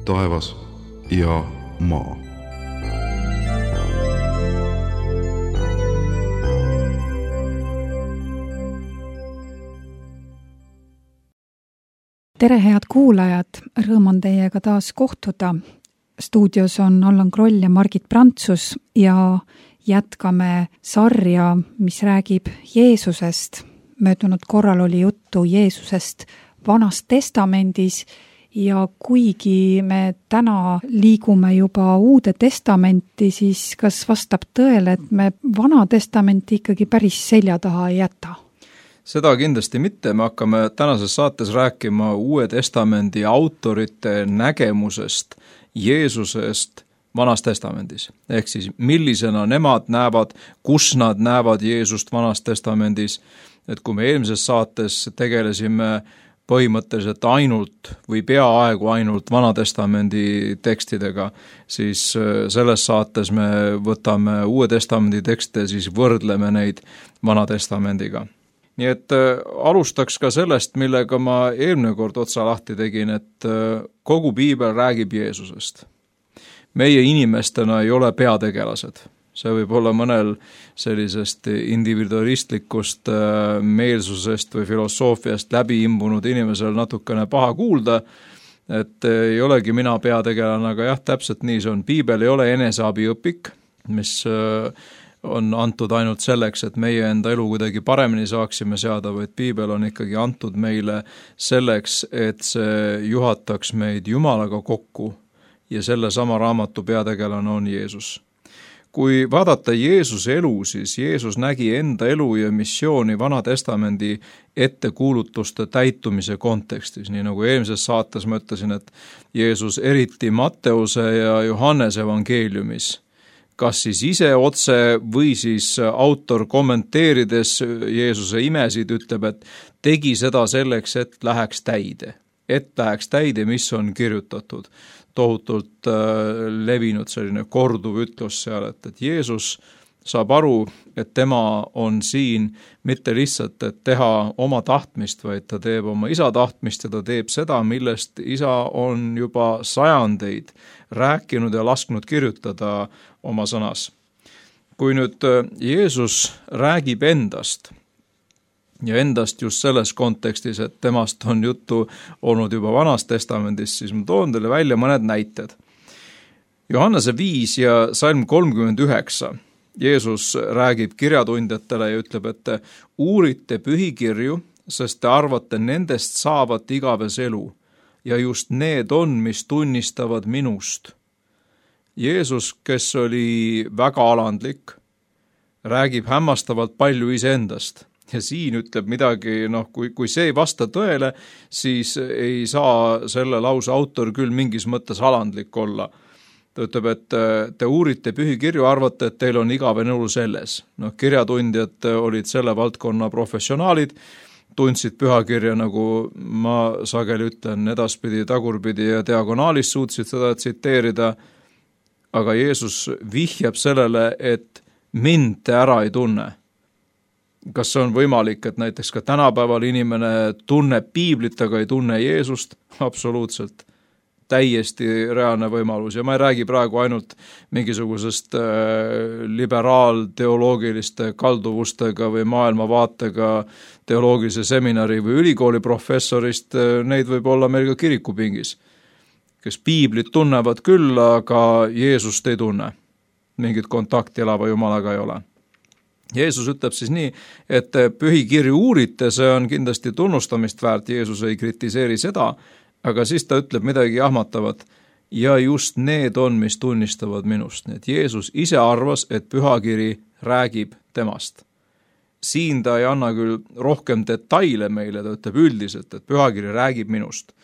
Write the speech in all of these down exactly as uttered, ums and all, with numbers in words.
taevas ja maa. Tere, head kuulajad! Rõõm on teiega taas kohtuda. Stuudios on Allan Kroll ja Margit Prantsus ja jätkame sarja, mis räägib Jeesusest. Möödunud korral oli juttu Jeesusest Vanas Testamendis ja kuigi me täna liigume juba Uude Testamenti, siis kas vastab tõele, et me Vana Testamenti ikkagi päris selja taha ei jäta? Seda kindlasti mitte, me hakkame tänases saates rääkima Uue Testamendi autorite nägemusest Jeesusest Vanas Testamendis. Ehk siis millisena nemad näevad, kus nad näevad Jeesust Vanas Testamendis. Et kui me eelmises saates tegelesime põhimõtteliselt ainult või peaaegu ainult Vana Testamendi tekstidega, siis selles saates me võtame Uue Testamendi tekste, siis võrdleme neid Vana Testamendiga. Nii et äh, alustaks ka sellest, millega ma eelmine kord otsa lahti tegin, et äh, kogu piibel räägib Jeesusest. Meie inimestena ei ole peategelased. See võib olla mõnel sellisest individualistlikust äh, meelsusest või filosoofiast läbi imbunud inimesel natukene paha kuulda, et äh, ei olegi mina peategelane, aga jah, täpselt nii see on. Piibel ei ole eneseabiõpik, mis äh, on antud ainult selleks, et meie enda elu kuidagi paremini saaksime seada, vaid piibel on ikkagi antud meile selleks, et see juhataks meid Jumalaga kokku ja selle sama raamatu peategelane on Jeesus. Kui vaadata Jeesuse elu, siis Jeesus nägi enda elu ja missiooni Vana Testamendi ettekuulutuste täitumise kontekstis, nii nagu eelmises saates ma ütlesin, et Jeesus eriti Matteuse ja Johannese evangeeliumis kas siis ise otse või siis autor kommenteerides Jeesuse imesid ütleb, et tegi seda selleks, et läheks täide. Et läheks täide, mis on kirjutatud. Tohutult äh, levinud selline korduv ütlus seal, et, et Jeesus saab aru, et tema on siin mitte lihtsalt, et teha oma tahtmist, vaid ta teeb oma isa tahtmist ja ta teeb seda, millest isa on juba sajandeid rääkinud ja lasknud kirjutada oma sõnas. Kui nüüd Jeesus räägib endast ja endast just selles kontekstis, et temast on juttu olnud juba Vanas Testamendis, siis ma toon teile välja mõned näited. Johannese viis ja salm kolmkümmend üheksa. Jeesus räägib kirjatundjatele ja ütleb, et te uurite pühikirju, sest te arvate, nendest saavat igaves elu ja just need on, mis tunnistavad minust. Jeesus, kes oli väga alandlik, räägib hämmastavalt palju iseendast ja siin ütleb midagi, noh, kui, kui see ei vasta tõele, siis ei saa selle lause autor küll mingis mõttes alandlik olla. Ta ütleb, et te uurite pühikirju, arvate, et teil on igavene elu selles. No, kirjatundjad olid selle valdkonna professionaalid, tundsid pühakirja, nagu ma sageli ütlen, edaspidi, tagurpidi ja diagonaalis suutsid seda tsiteerida, aga Jeesus vihjab sellele, et mind te ära ei tunne. Kas see on võimalik, et näiteks ka tänapäeval inimene tunneb piiblit, aga ei tunne Jeesust? Absoluutselt. Täiesti reaalne võimalus ja ma ei räägi praegu ainult mingisugusest liberaal-teoloogiliste kalduvustega või maailmavaatega teoloogilise seminari või ülikooli professorist, neid võib olla meil ka kirikupingis, kes piiblit tunnevad küll, aga Jeesust ei tunne. Mingit kontakti elava Jumalaga ei ole. Jeesus ütleb siis nii, et pühikirju uurite, see on kindlasti tunnustamist väärt, Jeesus ei kritiseeri seda, aga siis ta ütleb midagi jahmatavat ja just need on, mis tunnistavad minust. Nii et Jeesus ise arvas, et pühakiri räägib temast. Siin ta ei anna küll rohkem detaile meile, ta ütleb üldiselt, et pühakiri räägib minust.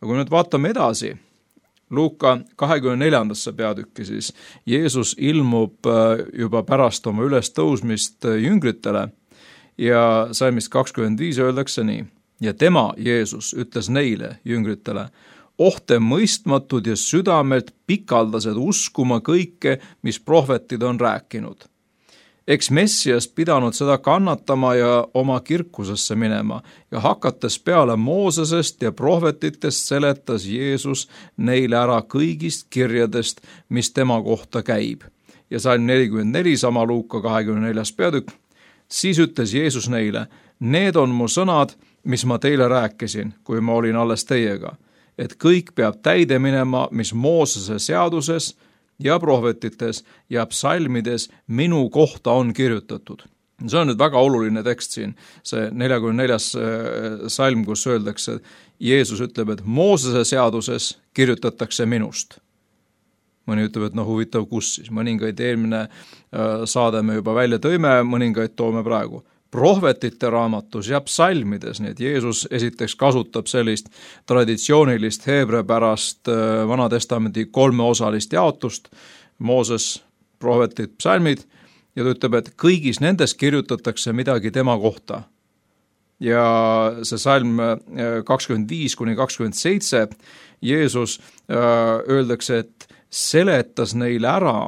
Aga kui nüüd vaatame edasi, Luuka kahekümne neljandasse peatükki, siis Jeesus ilmub juba pärast oma ülestõusmist jüngritele ja salmist kakskümmend viis öeldakse nii. Ja tema, Jeesus, ütles neile, jüngritele, ohte mõistmatud ja südamelt pikaldased uskuma kõike, mis prohvetid on rääkinud. eks Messias pidanud seda kannatama ja oma kirkusesse minema ja hakates peale Moosesest ja prohvetitest seletas Jeesus neile ära kõigist kirjadest, mis tema kohta käib. Ja salm nelikümmend neli, sama Luuka kahekümne neljas peatükk, siis ütles Jeesus neile, need on mu sõnad, mis ma teile rääkisin, kui ma olin alles teiega, et kõik peab täide minema, mis Moosese seaduses ja prohvetites ja psalmides minu kohta on kirjutatud. See on nüüd väga oluline tekst siin, see neljakümne neljas salm, kus öeldakse, Jeesus ütleb, et Moosese seaduses kirjutatakse minust. Mõni ütleb, et no huvitav, kus siis, mõningaid eelmine saade me juba välja tõime, mõningaid toome praegu. Prohvetite raamatus ja psalmides, nii et Jeesus esiteks kasutab sellist traditsioonilist heebrepärast Vana Testamendi kolmeosalist jaotust, Mooses, prohvetid, psalmid, ja ta ütleb, et kõigis nendes kirjutatakse midagi tema kohta. Ja see salm kakskümmend viis kuni kakskümmend seitse, Jeesus öeldakse, et seletas neile ära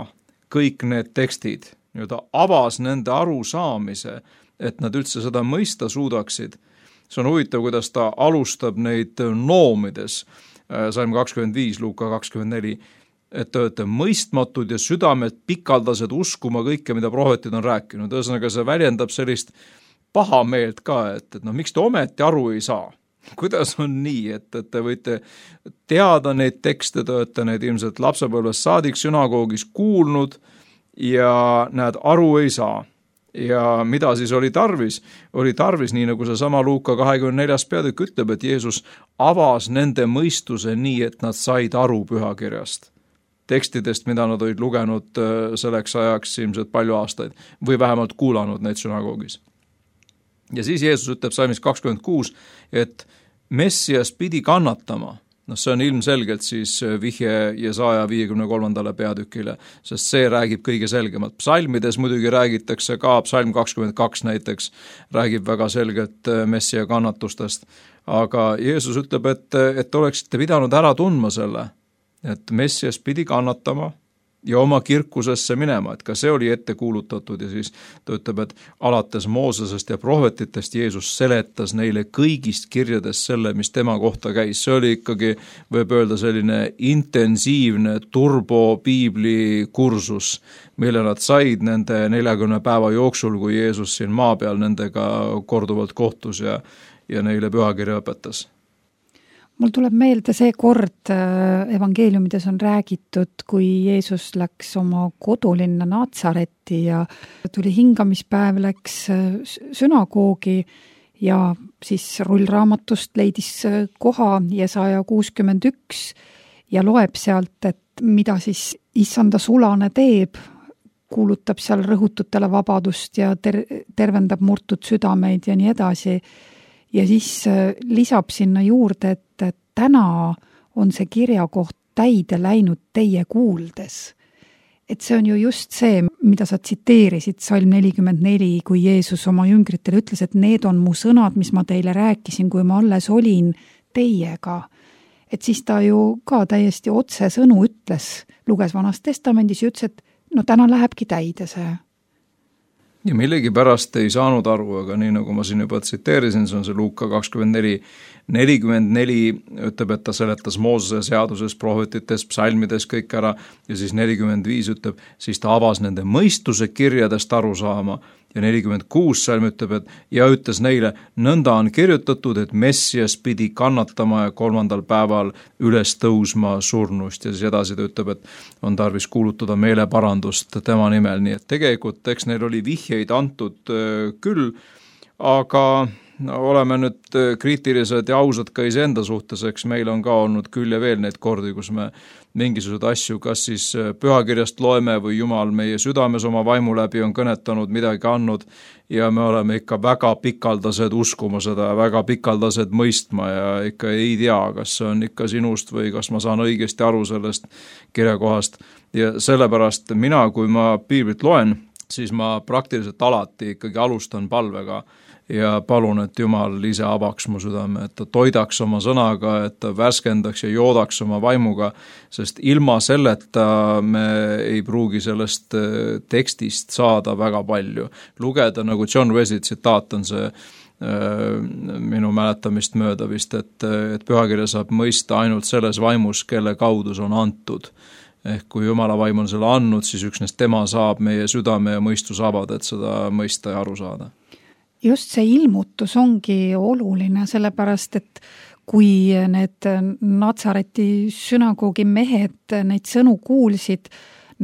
kõik need tekstid, nii-öelda avas nende arusaamise, et nad üldse seda mõista suudaksid. See on huvitav, kuidas ta alustab neid noomides, salm kakskümmend viis, Luuka kakskümmend neli, et te olete mõistmatud ja südamed pikaldased uskuma kõike, mida prohvetid on rääkinud. Ühesõnaga, see väljendab sellist paha meelt ka, et, et no miks te ometi aru ei saa? Kuidas on nii, et, et te võite teada neid tekste, te olete neid ilmselt lapsepõlvest saadik sünagoogis kuulnud ja näed, aru ei saa. Ja mida siis oli tarvis? Oli tarvis, nii nagu see sama Luuka kahekümne neljas peatükk ütleb, et Jeesus avas nende mõistuse nii, et nad said aru pühakirjast. Tekstidest, mida nad olid lugenud selleks ajaks ilmselt palju aastaid või vähemalt kuulanud neid sünagoogis. Ja siis Jeesus ütleb salmis kakskümmend kuus, et Messias pidi kannatama. No see on ilmselgelt siis vihje Jesaja viiekümne kolmandale peatükile, sest see räägib kõige selgemalt. Psalmides muidugi räägitakse ka, psalm kakskümmend kaks näiteks räägib väga selgelt Messia kannatustest, aga Jeesus ütleb, et, et oleksite pidanud ära tundma selle, et Messias pidi kannatama ja oma kirkusesse minema, et ka see oli ette kuulutatud ja siis ta ütleb, et alates Moosesest ja prohvetitest Jeesus seletas neile kõigist kirjadest selle, mis tema kohta käis. See oli ikkagi, võib öelda, selline intensiivne turbopiibli kursus, mille nad said nende neljakümne päeva jooksul, kui Jeesus siin maa peal nendega korduvalt kohtus ja, ja neile pühakirja õpetas. Mul tuleb meelde see kord evangeeliumides on räägitud, kui Jeesus läks oma kodulinna Natsaretti ja tuli hingamispäev, läks sünagoogi ja siis rullraamatust leidis koha Jesaja kuuskümmend üks ja loeb sealt, et mida siis issanda sulane teeb, kuulutab seal rõhututele vabadust ja ter- tervendab murtud südameid ja nii edasi. Ja siis lisab sinna juurde, et täna on see kirjakoht täide läinud teie kuuldes. Et see on ju just see, mida sa tsiteerisid, salm nelikümmend neli, kui Jeesus oma jüngritele ütles, et need on mu sõnad, mis ma teile rääkisin, kui ma alles olin teiega. Et siis ta ju ka täiesti otse sõnu ütles, luges Vanas Testamendis ja ütles, et no täna lähebki täide see. Ja millegi pärast ei saanud aru, aga nii nagu ma siin juba tsiteerisin, see on see Luuka kakskümmend neli, nelikümmend neli ütleb, et ta seletas Moosese seaduses, prohvetites, psalmides kõik ära ja siis nelikümmend viis ütleb, siis ta avas nende mõistuse kirjadest aru saama ja nelikümmend kuus salm ütleb, et ja ütles neile, nõnda on kirjutatud, et Messias pidi kannatama ja kolmandal päeval üles tõusma surnust ja siis edasi ta ütleb, et on tarvis kuulutada meeleparandust tema nimel, nii et tegelikult eks neil oli vihjeid antud küll, aga no, oleme nüüd kriitilised ja ausad ka iseenda suhtes, eks meil on ka olnud küll ja veel neid kordi, kus me mingisugused asju, kas siis pühakirjast loeme või Jumal meie südames oma vaimu läbi on kõnetanud, midagi andnud ja me oleme ikka väga pikaldased uskuma seda, väga pikaldased mõistma ja ikka ei tea, kas see on ikka sinust või kas ma saan õigesti aru sellest kirjakohast ja sellepärast mina, kui ma piiblit loen, siis ma praktiliselt alati ikkagi alustan palvega ja palun, et Jumal ise avaks mu südame, et ta toidaks oma sõnaga, et ta värskendaks ja joodaks oma vaimuga, sest ilma selleta me ei pruugi sellest tekstist saada väga palju. Lugeda, nagu John Wesley tsitaat on see minu mäletamist mööda vist, et, et pühakirja saab mõista ainult selles vaimus, kelle kaudu see on antud. Ehk kui Jumala vaim on selle andnud, siis üksnes tema saab meie südame ja mõistus avada, et seda mõista ja aru saada. Just see ilmutus ongi oluline, sellepärast, et kui need Natsareti sünagoogi mehed neid sõnu kuulsid,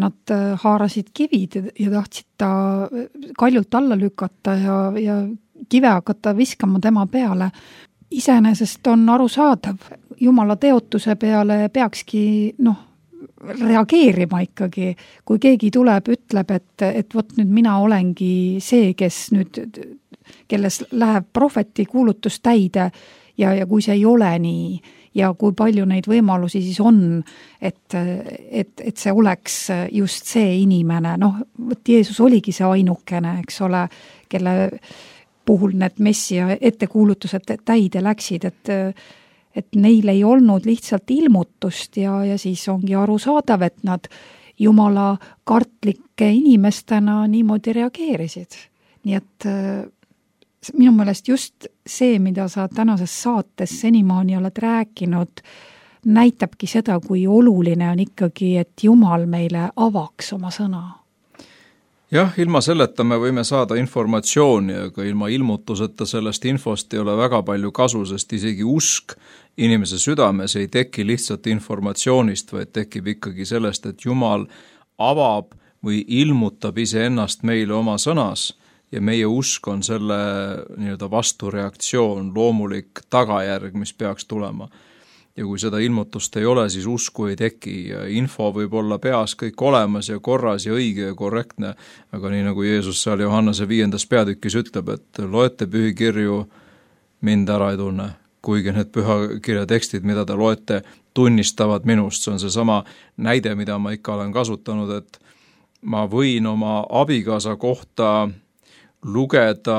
nad haarasid kivid ja tahtsid ta kaljult alla lükata ja, ja kive hakata viskama tema peale. Iseenesest on arusaadav, Jumala teotuse peale peakski noh, reageerima ikkagi, kui keegi tuleb, ütleb, et, et võt nüüd mina olengi see, kes nüüd, kelles läheb prohveti kuulutus täide ja, ja kui see ei ole nii ja kui palju neid võimalusi siis on, et, et, et see oleks just see inimene, noh, võt Jeesus oligi see ainukene, eks ole, kelle puhul need messia ettekuulutused täide läksid, et et neil ei olnud lihtsalt ilmutust ja, ja siis ongi arusaadav, et nad Jumala kartlike inimestena niimoodi reageerisid. Nii et minu meelest just see, mida sa tänases saates senimaani oled rääkinud, näitabki seda, kui oluline on ikkagi, et Jumal meile avaks oma sõna. Jah, ilma selleta me võime saada informatsiooni, aga ilma ilmutuseta sellest infost ei ole väga palju kasu, sest isegi usk inimese südames ei teki lihtsalt informatsioonist, vaid tekib ikkagi sellest, et Jumal avab või ilmutab iseennast meile oma sõnas ja meie usk on selle nii-öelda vastureaktsioon, loomulik tagajärg, mis peaks tulema. Ja kui seda ilmutust ei ole, siis usku ei teki ja info võib olla peas kõik olemas ja korras ja õige ja korrektne, aga nii nagu Jeesus seal Johannese viiendas peatükis ütleb, et loete pühikirju, mind ära ei tunne, kuigi need pühakirja tekstid, mida te loete, tunnistavad minust. See on see sama näide, mida ma ikka olen kasutanud, et ma võin oma abikaasa kohta lugeda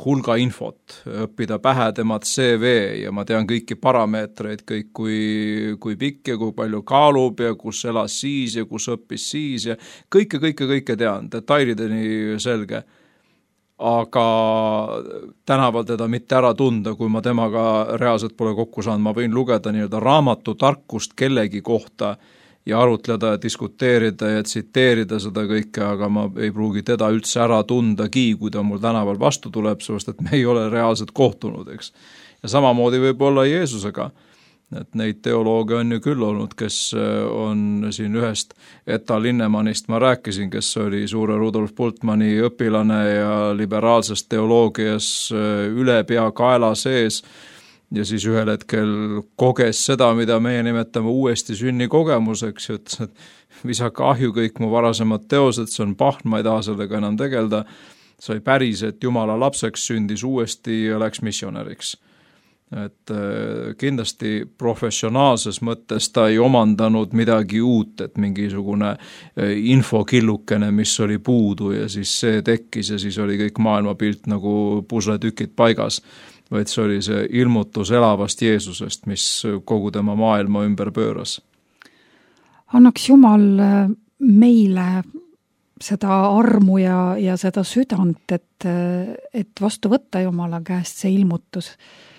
hulga infot, õppida pähe tema C V ja ma tean kõiki parameetreid, kõik kui, kui pikk ja kui palju kaalub ja kus elas siis ja kus õppis siis ja kõike, kõike, kõike tean, detailideni selge. Aga tänaval teda mitte ära tunda, kui ma temaga reaalselt pole kokku saanud, ma võin lugeda nii-öelda raamatu tarkust kellegi kohta ja arutleda ja diskuteerida ja tsiteerida seda kõike, aga ma ei pruugi teda üldse ära tundagi, kui ta mul tänaval vastu tuleb, sest et me ei ole reaalselt kohtunud, eks. Ja samamoodi võib olla Jeesusega, et neid teolooge on ju küll olnud, kes on siin ühest Etta Linnemannist ma rääkisin, kes oli suure Rudolf Bultmanni õpilane ja liberaalses teoloogias üle pea kaela sees, ja siis ühel hetkel koges seda, mida meie nimetame uuesti sünni kogemuseks, ütles, et visake ahju kõik mu varasemad teosed, see on pahn, ma ei taha sellega enam tegelda, sai päris, et Jumala lapseks sündis uuesti ja läks missionäriks. Et kindlasti professionaalses mõttes ta ei omandanud midagi uut, et mingisugune infokillukene, mis oli puudu ja siis see tekkis ja siis oli kõik maailmapilt nagu pusletükid paigas, vaid see oli see ilmutus elavast Jeesusest, mis kogu tema maailma ümber pööras. Annaks Jumal meile seda armu ja, ja seda südant, et, et vastu võtta Jumala käest see ilmutus.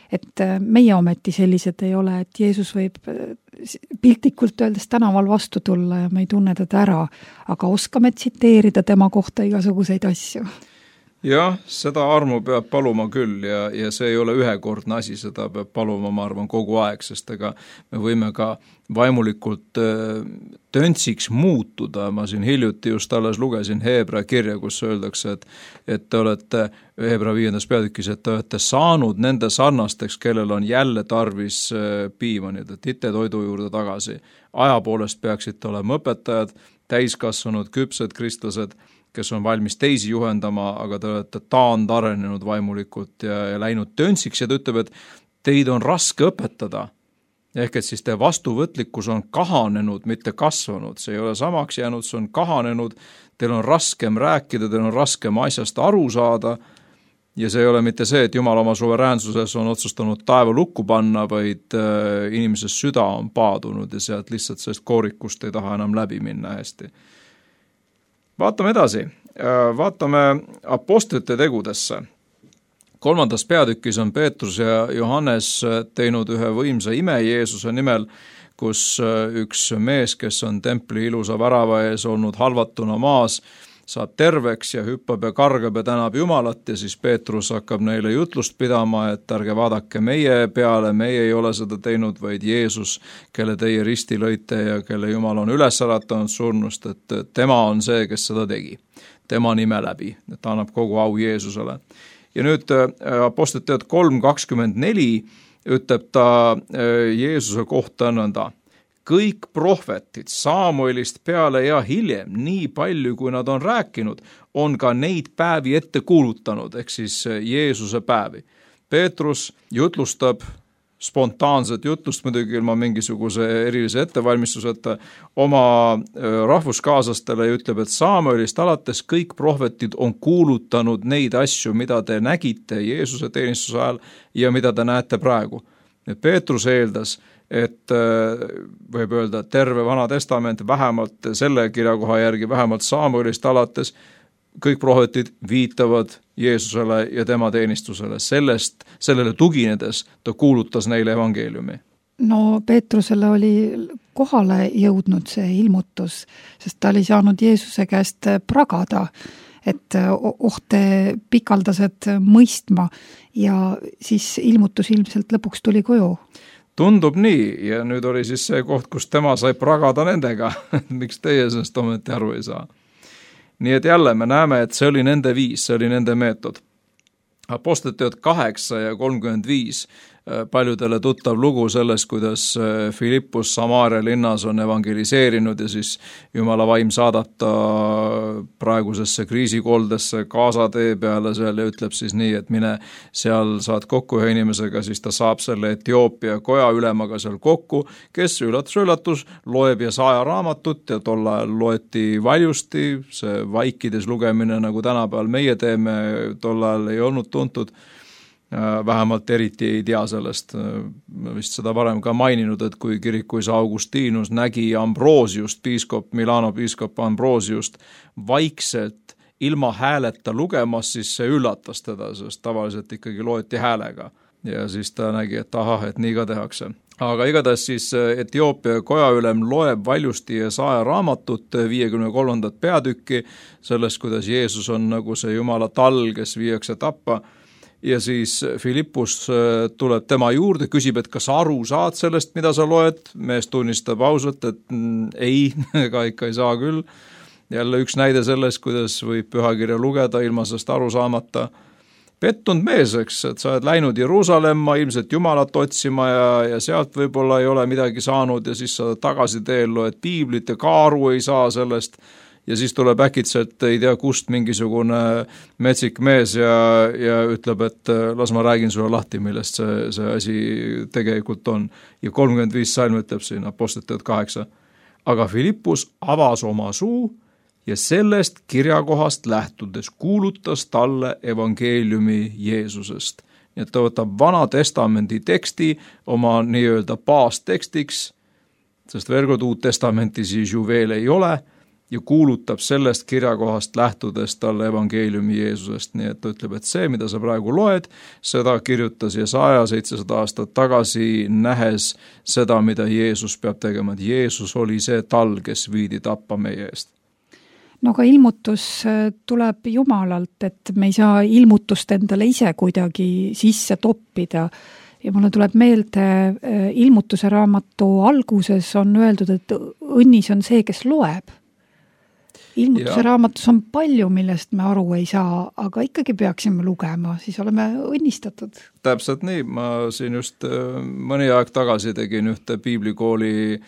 Et meie ometi sellised ei ole, et Jeesus võib piltlikult öeldes tänaval vastu tulla ja me ei tunne teda ära, aga oskame tsiteerida tema kohta igasuguseid asju. Jah, seda armu peab paluma küll ja, ja see ei ole ühekordne asi, seda peab paluma, ma arvan, kogu aeg, sest ega me võime ka vaimulikult töntsiks muutuda. Ma siin hiljuti just alles lugesin Heebra kirja, kus öeldakse, et, et te olete Heebra viiendas peatükis, et te olete saanud nende sarnasteks, kellel on jälle tarvis piima, nii et ite toidu juurde tagasi. Aja poolest peaksite olema õpetajad, täiskasvanud, küpsed kristlased, kes on valmis teisi juhendama, aga te olete taand arenenud vaimulikult ja, ja läinud töntsiks ja ta ütleb, et teid on raske õpetada. ehk et siis teie vastuvõtlikkus on kahanenud, mitte kasvanud, see ei ole samaks jäänud, see on kahanenud, teil on raskem rääkida, teil on raskem asjast aru saada ja see ei ole mitte see, et Jumal oma suveräänsuses on otsustanud taeva lukku panna, vaid äh, inimese süda on paadunud ja sealt lihtsalt sellest koorikust ei taha enam läbi minna hästi. Vaatame edasi, vaatame apostlite tegudesse. Kolmandas peatükis on Peetrus ja Johannes teinud ühe võimsa ime Jeesuse nimel, kus üks mees, kes on templi ilusa värava ees olnud halvatuna maas, saab terveks ja hüppab ja kargab ja tänab Jumalat ja siis Peetrus hakkab neile jutlust pidama, et ärge vaadake meie peale, meie ei ole seda teinud, vaid Jeesus, kelle teie risti lõite ja kelle Jumal on üles äratanud surnust, et tema on see, kes seda tegi, tema nime läbi, et ta annab kogu au Jeesusele. Ja nüüd Apostlite teod kolm kakskümmend neli ütleb ta Jeesuse kohta nõnda. Kõik prohvetid Samuelist peale ja hiljem, nii palju kui nad on rääkinud, on ka neid päevi ette kuulutanud, ehk siis Jeesuse päevi. Peetrus jutlustab spontaanset jutlust, muidugi ilma mingisuguse erilise ettevalmistuseta oma rahvuskaaslastele ja ütleb, et Samuelist alates kõik prohvetid on kuulutanud neid asju, mida te nägite Jeesuse teenistuse ajal ja mida te näete praegu. Peetrus eeldas, et võib öelda, et terve Vana Testament vähemalt selle kirjakoha järgi, vähemalt Samuelist alates, kõik prohvetid viitavad Jeesusele ja tema teenistusele. Sellest, sellele tuginedes ta kuulutas neile evangeeliumi. No Peetrusele oli kohale jõudnud see ilmutus, sest ta oli saanud Jeesuse käest pragada, et ohte pikaldased mõistma ja siis ilmutus ilmselt lõpuks tuli koju. Tundub nii ja nüüd oli siis see koht, kus tema sai pragada nendega, miks teie sellest ometi aru ei saa. Nii et jälle me näeme, et see oli nende viis, see oli nende meetod. Apostlite teod kaheksa ja kolmkümmend viis, paljudele tuttav lugu sellest, kuidas Filippus Samaaria linnas on evangeliseerinud ja siis Jumala vaim saadata praegusesse kriisikoldesse Gaza tee peale seal ja ütleb siis nii, et mine seal saad kokku ühe inimesega, siis ta saab selle Etioopia koja ülemaga seal kokku, kes üllatus-üllatus loeb ja saaja raamatut ja tol ajal loeti valjusti, see vaikides lugemine, nagu tänapäeval meie teeme, tol ajal ei olnud tuntud, vähemalt eriti ei tea sellest, vist seda varem ka maininud, et kui kirikuisa Augustinus nägi Ambrosiust, piiskop, Milano piiskop Ambrosiust vaikselt ilma hääleta lugemas, siis see üllatas teda, sest tavaliselt ikkagi loeti häälega ja siis ta nägi, et ahah, et nii ka tehakse. Aga igatahes siis Etioopia kojaülem loeb valjusti ja saaja raamatut viiekümne kolmandat peatükki sellest, kuidas Jeesus on nagu see Jumala tall, kes viiakse tappa. Ja siis Filippus tuleb tema juurde, küsib, et kas aru saad sellest, mida sa loed. Mees tunnistab ausalt, et mm, ei, ega ikka ei saa küll. Jälle üks näide sellest, kuidas võib pühakirja lugeda ilma sellest aru saamata. Pettunud mees, eks, et sa oled läinud Jeruusalemma ilmselt Jumalat otsima ja, ja sealt võib-olla ei ole midagi saanud ja siis sa tagasi teel loed piiblit ja ka aru ei saa sellest. Ja siis tuleb äkitselt, ei tea kust, mingisugune metsik mees ja, ja ütleb, et las ma räägin sulle lahti, millest see, see asi tegelikult on. Ja kolmkümmend viis salm ütleb siin Apostlite teod kaheksa. Aga Filippus avas oma suu ja sellest kirjakohast lähtudes kuulutas talle evangeeliumi Jeesusest. Nii et ta võtab Vana Testamendi teksti oma nii-öelda baastekstiks, sest veel kord Uut Testamenti siis ju veel ei ole, ja kuulutab sellest kirjakohast lähtudes talle evangeeliumi Jeesusest. Nii et ta ütleb, et see, mida sa praegu loed, seda kirjutas Jesaja seitsesada aastat tagasi, nähes seda, mida Jeesus peab tegema. Et Jeesus oli see tal, kes viidi tappa meie eest. No ka ilmutus tuleb Jumalalt, et me ei saa ilmutust endale ise kuidagi sisse toppida. Ja mulle tuleb meelde, ilmutuse raamatu alguses on öeldud, et õnnis on see, kes loeb. Ilmutuse ja. Raamatus on palju, millest me aru ei saa, aga ikkagi peaksime lugema, siis oleme õnnistatud. Täpselt nii, ma siin just mõni aeg tagasi tegin ühte piiblikooli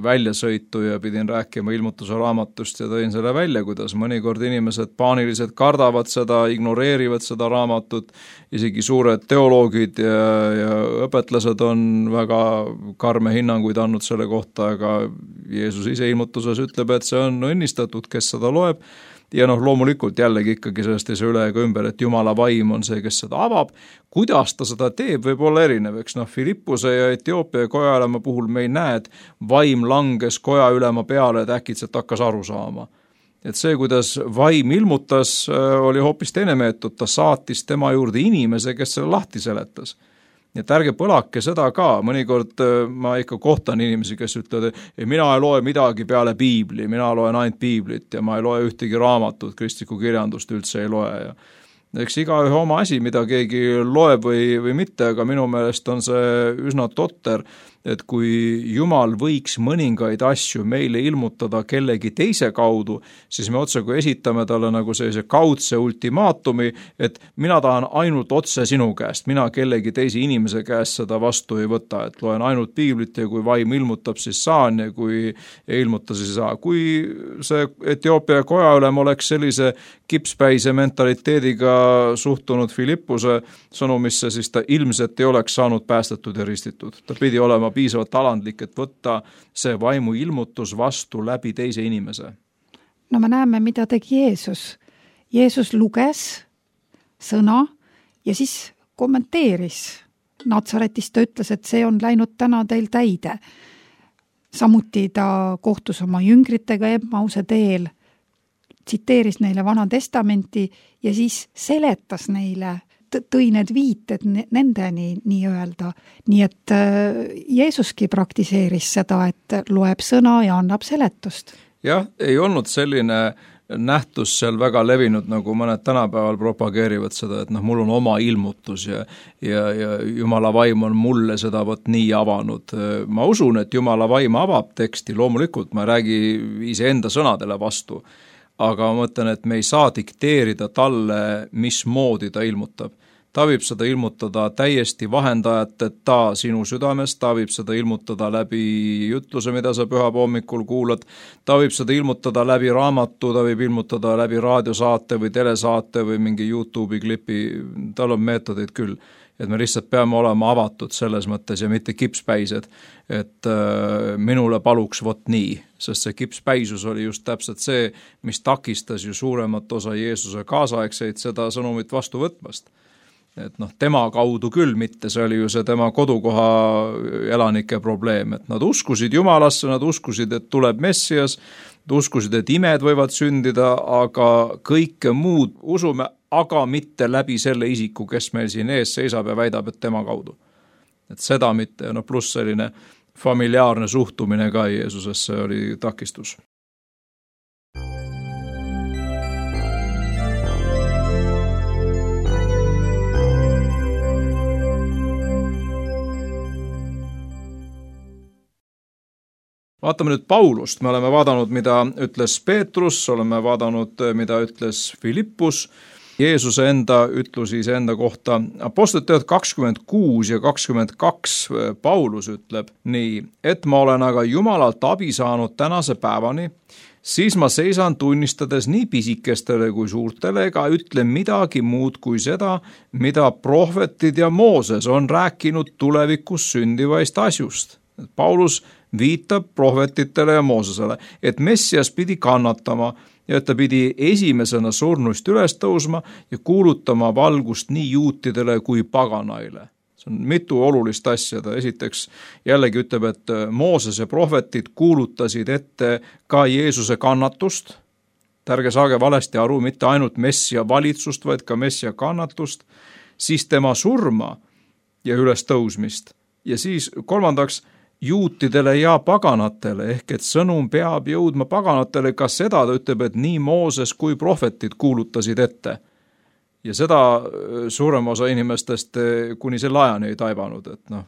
väljasõitu ja pidin rääkima ilmutuse raamatust ja tõin selle välja, kuidas mõnikord inimesed paaniliselt kardavad seda, ignoreerivad seda raamatut, isegi suured teoloogid ja, ja õpetlased on väga karme hinnanguid andnud selle kohta, aga Jeesus ise ilmutuses ütleb, et see on õnnistatud, kes seda loeb. Ja noh, loomulikult jällegi ikkagi sellest ei saa üle ega ümber, et Jumala vaim on see, kes seda avab. Kuidas ta seda teeb, võib olla erinev, eks noh, Filippuse ja Etioopia kojaülema puhul me ei näe, et vaim langes kojaülema peale, et äkitselt hakkas aru saama. Et see, kuidas vaim ilmutas, oli hoopis teine meetod, ta saatis tema juurde inimese, kes selle lahti seletas. Et ärge põlake seda ka, mõnikord ma ikka kohtan inimesi, kes ütlevad, et mina ei loe midagi peale piibli, mina loen ainult piiblit ja ma ei loe ühtegi raamatut, kristlikku kirjandust üldse ei loe. Ja eks igaühe oma asi, mida keegi loeb või, või mitte, aga minu meelest on see üsna totter, et kui Jumal võiks mõningaid asju meile ilmutada kellegi teise kaudu, siis me otse kui esitame talle nagu sellise kaudse ultimaatumi, et mina tahan ainult otse sinu käest, mina kellegi teise inimese käest seda vastu ei võta, et loen ainult piiblit ja kui vaim ilmutab, siis saan ja kui ei ilmuta, siis ei saa. Kui see Etioopia kojaülem oleks sellise kipspäise mentaliteediga suhtunud Filippuse sõnumisse, siis ta ilmselt ei oleks saanud päästetud ja ristitud. Ta pidi olema piisavalt alandlik, et võtta see vaimu ilmutus vastu läbi teise inimese. No me näeme, mida tegi Jeesus. Jeesus luges sõna ja siis kommenteeris. Natsaretist ta ütles, et see on läinud täna teil täide. Samuti ta kohtus oma jüngritega Emmause teel, tsiteeris neile Vana Testamenti ja siis seletas neile, tõi need viited nendeni nii öelda. Nii et Jeesuski praktiseeris seda, et loeb sõna ja annab seletust. Jah, ei olnud selline nähtus seal väga levinud, nagu mõned tänapäeval propageerivad seda, et noh, mul on oma ilmutus ja, ja, ja Jumala vaim on mulle seda võt nii avanud. Ma usun, et Jumala vaim avab teksti, loomulikult ma ei räägi iseenda sõnadele vastu, aga ma mõtlen, et me ei saa dikteerida talle, mismoodi ta ilmutab. Ta võib seda ilmutada täiesti vahendajateta sinu südames, ta võib seda ilmutada läbi jutluse, mida sa pühab hommikul kuulad, ta võib seda ilmutada läbi raamatu, ta võib ilmutada läbi raadiosaate või telesaate või mingi YouTube'i klipi, tal on meetodeid küll. Et me lihtsalt peame olema avatud selles mõttes ja mitte kipspäised, et äh, minule paluks vot nii, sest see kipspäisus oli just täpselt see, mis takistas ju suuremat osa Jeesuse kaasaegseid seda sõnumit vastu võtmast. Et noh, tema kaudu küll mitte, see oli ju see tema kodukoha elanike probleem, et nad uskusid Jumalasse, nad uskusid, et tuleb Messias, uskusid, et imed võivad sündida, aga kõike muud usume, aga mitte läbi selle isiku, kes meil siin ees seisab ja väidab, et tema kaudu. Et seda mitte, no pluss selline familiaarne suhtumine ka Jeesusesse oli takistus. Vaatame nüüd Paulust, me oleme vaadanud, mida ütles Peetrus, oleme vaadanud, mida ütles Filippus, Jeesuse enda ütlusi iseenda kohta. Apostlite teod kakskümmend kuus ja kakskümmend kaks Paulus ütleb nii, et ma olen aga Jumalalt abi saanud tänase päevani, siis ma seisan tunnistades nii pisikestele kui suurtele ega ütle midagi muud kui seda, mida prohvetid ja Mooses on rääkinud tulevikus sündivaist asjust. Paulus viitab prohvetitele ja Moosesele, et Messias pidi kannatama ja et ta pidi esimesena surnuist üles tõusma ja kuulutama valgust nii juutidele kui paganaile. See on mitu olulist asja. Ta esiteks jällegi ütleb, et Mooses ja prohvetid kuulutasid ette ka Jeesuse kannatust. Ärge saage valesti aru, mitte ainult Messia valitsust, vaid ka Messia kannatust, siis tema surma ja üles tõusmist. Ja siis kolmandaks, juutidele ja paganatele, ehk et sõnum peab jõudma paganatele, ka seda ta ütleb, et nii Mooses kui prohvetid kuulutasid ette. Ja seda suurem osa inimestest kuni selle ajani ei taibanud, et noh,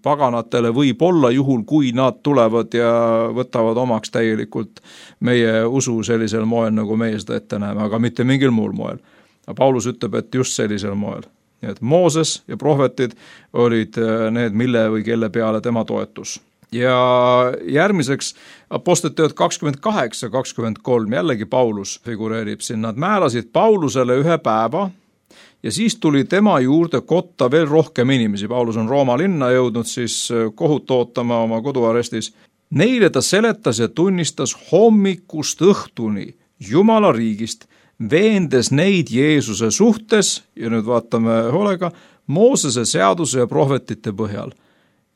paganatele võib olla juhul, kui nad tulevad ja võtavad omaks täielikult meie usu sellisel moel, nagu meie seda ette näeme, aga mitte mingil muul moel. Paulus ütleb, et just sellisel moel. Et Mooses ja prohvetid olid need, mille või kelle peale tema toetus. ja järgmiseks Apostlite kakskümmend kaheksa kakskümmend kolm, jällegi Paulus figureerib siin, nad määrasid Paulusele ühe päeva ja siis tuli tema juurde kotta veel rohkem inimesi. Paulus on Rooma linna jõudnud siis kohut ootama oma koduarestis. Neile ta seletas ja tunnistas hommikust õhtuni Jumala riigist, veendes neid Jeesuse suhtes, ja nüüd vaatame hoolega, Moosese seaduse ja prohvetite põhjal.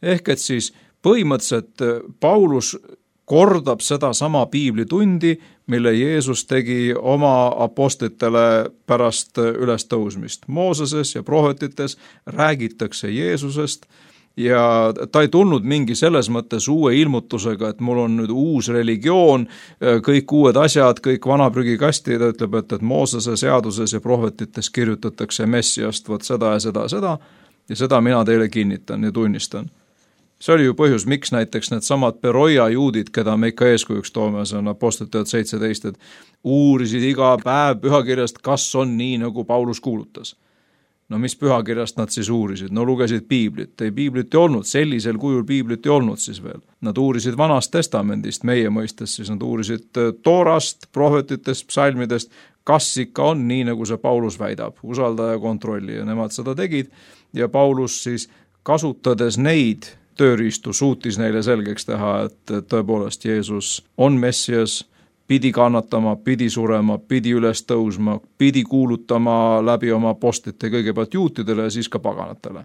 Ehk et siis põhimõtteliselt Paulus kordab seda sama piiblitundi, mille Jeesus tegi oma apostlitele pärast ülestõusmist. Mooseses ja prohvetites räägitakse Jeesusest ja ta ei tulnud mingi selles mõttes uue ilmutusega, et mul on nüüd uus religioon, kõik uued asjad, kõik vana prügikasti, ta ütleb, et, et Moosese seaduses ja prohvetites kirjutatakse Messiast, vot seda ja seda, seda ja seda mina teile kinnitan ja tunnistan. See oli ju põhjus, miks näiteks need samad Beroia juudid, keda me ikka eeskujuks toome, see on Apostlite seitseteist, et uurisid iga päev pühakirjast, kas on nii, nagu Paulus kuulutas. No mis pühakirjast nad siis uurisid? No lugesid piiblit. Ei, piiblit ei olnud, sellisel kujul piiblit ei olnud siis veel. Nad uurisid Vanast testamendist, meie mõistes siis nad uurisid Toorast, prohvetitest, psalmidest, kas ikka on nii, nagu see Paulus väidab, usalda ja kontrolli ja nemad seda tegid ja Paulus siis kasutades neid tööriistu suutis neile selgeks teha, et tõepoolest Jeesus on Messias, pidi kannatama, pidi surema, pidi üles tõusma, pidi kuulutama läbi oma apostlite kõigepealt juutidele ja siis ka paganatele.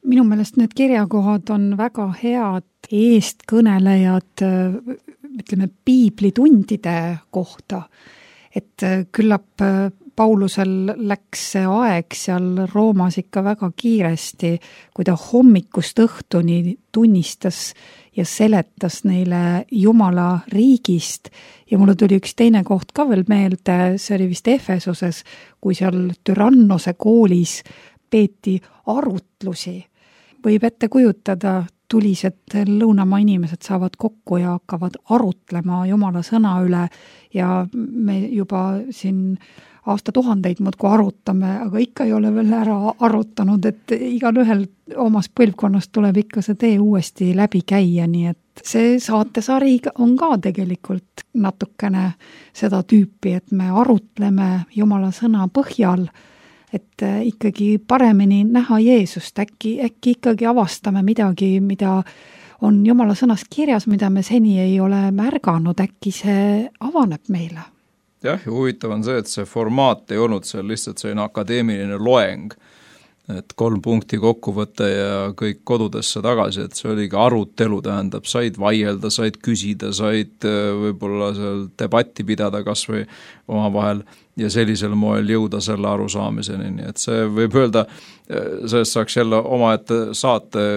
Minu meelest need kirjakohad on väga head eestkõnelejad, ütleme, piiblitundide kohta, et küllap Paulusel läks see aeg seal Roomas ikka väga kiiresti, kui ta hommikust õhtuni tunnistas ja seletas neile Jumala riigist ja mulle tuli üks teine koht ka veel meelde, see oli vist Efesoses, kui seal Tyrannose koolis peeti arutlusi. Võib ette kujutada, tulised lõunamaa inimesed saavad kokku ja hakkavad arutlema Jumala sõna üle ja me juba siin aastatuhandeid muudku arutame, aga ikka ei ole veel ära arutanud, et igal ühel omas põlvkonnast tuleb ikka see tee uuesti läbi käia, nii et see saatesari on ka tegelikult natukene seda tüüpi, et me arutleme Jumala sõna põhjal, et ikkagi paremini näha Jeesust, äkki, äkki ikkagi avastame midagi, mida on Jumala sõnas kirjas, mida me seni ei ole märganud, äkki see avaneb meile. Jah, ja huvitav on see, et see formaat ei olnud seal lihtsalt selline akadeemiline loeng, et kolm punkti kokku võtta ja kõik kodudesse tagasi, et see oligi arutelu, tähendab, said vaielda, said küsida, said võib-olla seal debatti pidada kas või omavahel ja sellisel moel jõuda selle arusaamiseni, nii et see võib öelda, sellest saaks jälle omaette saate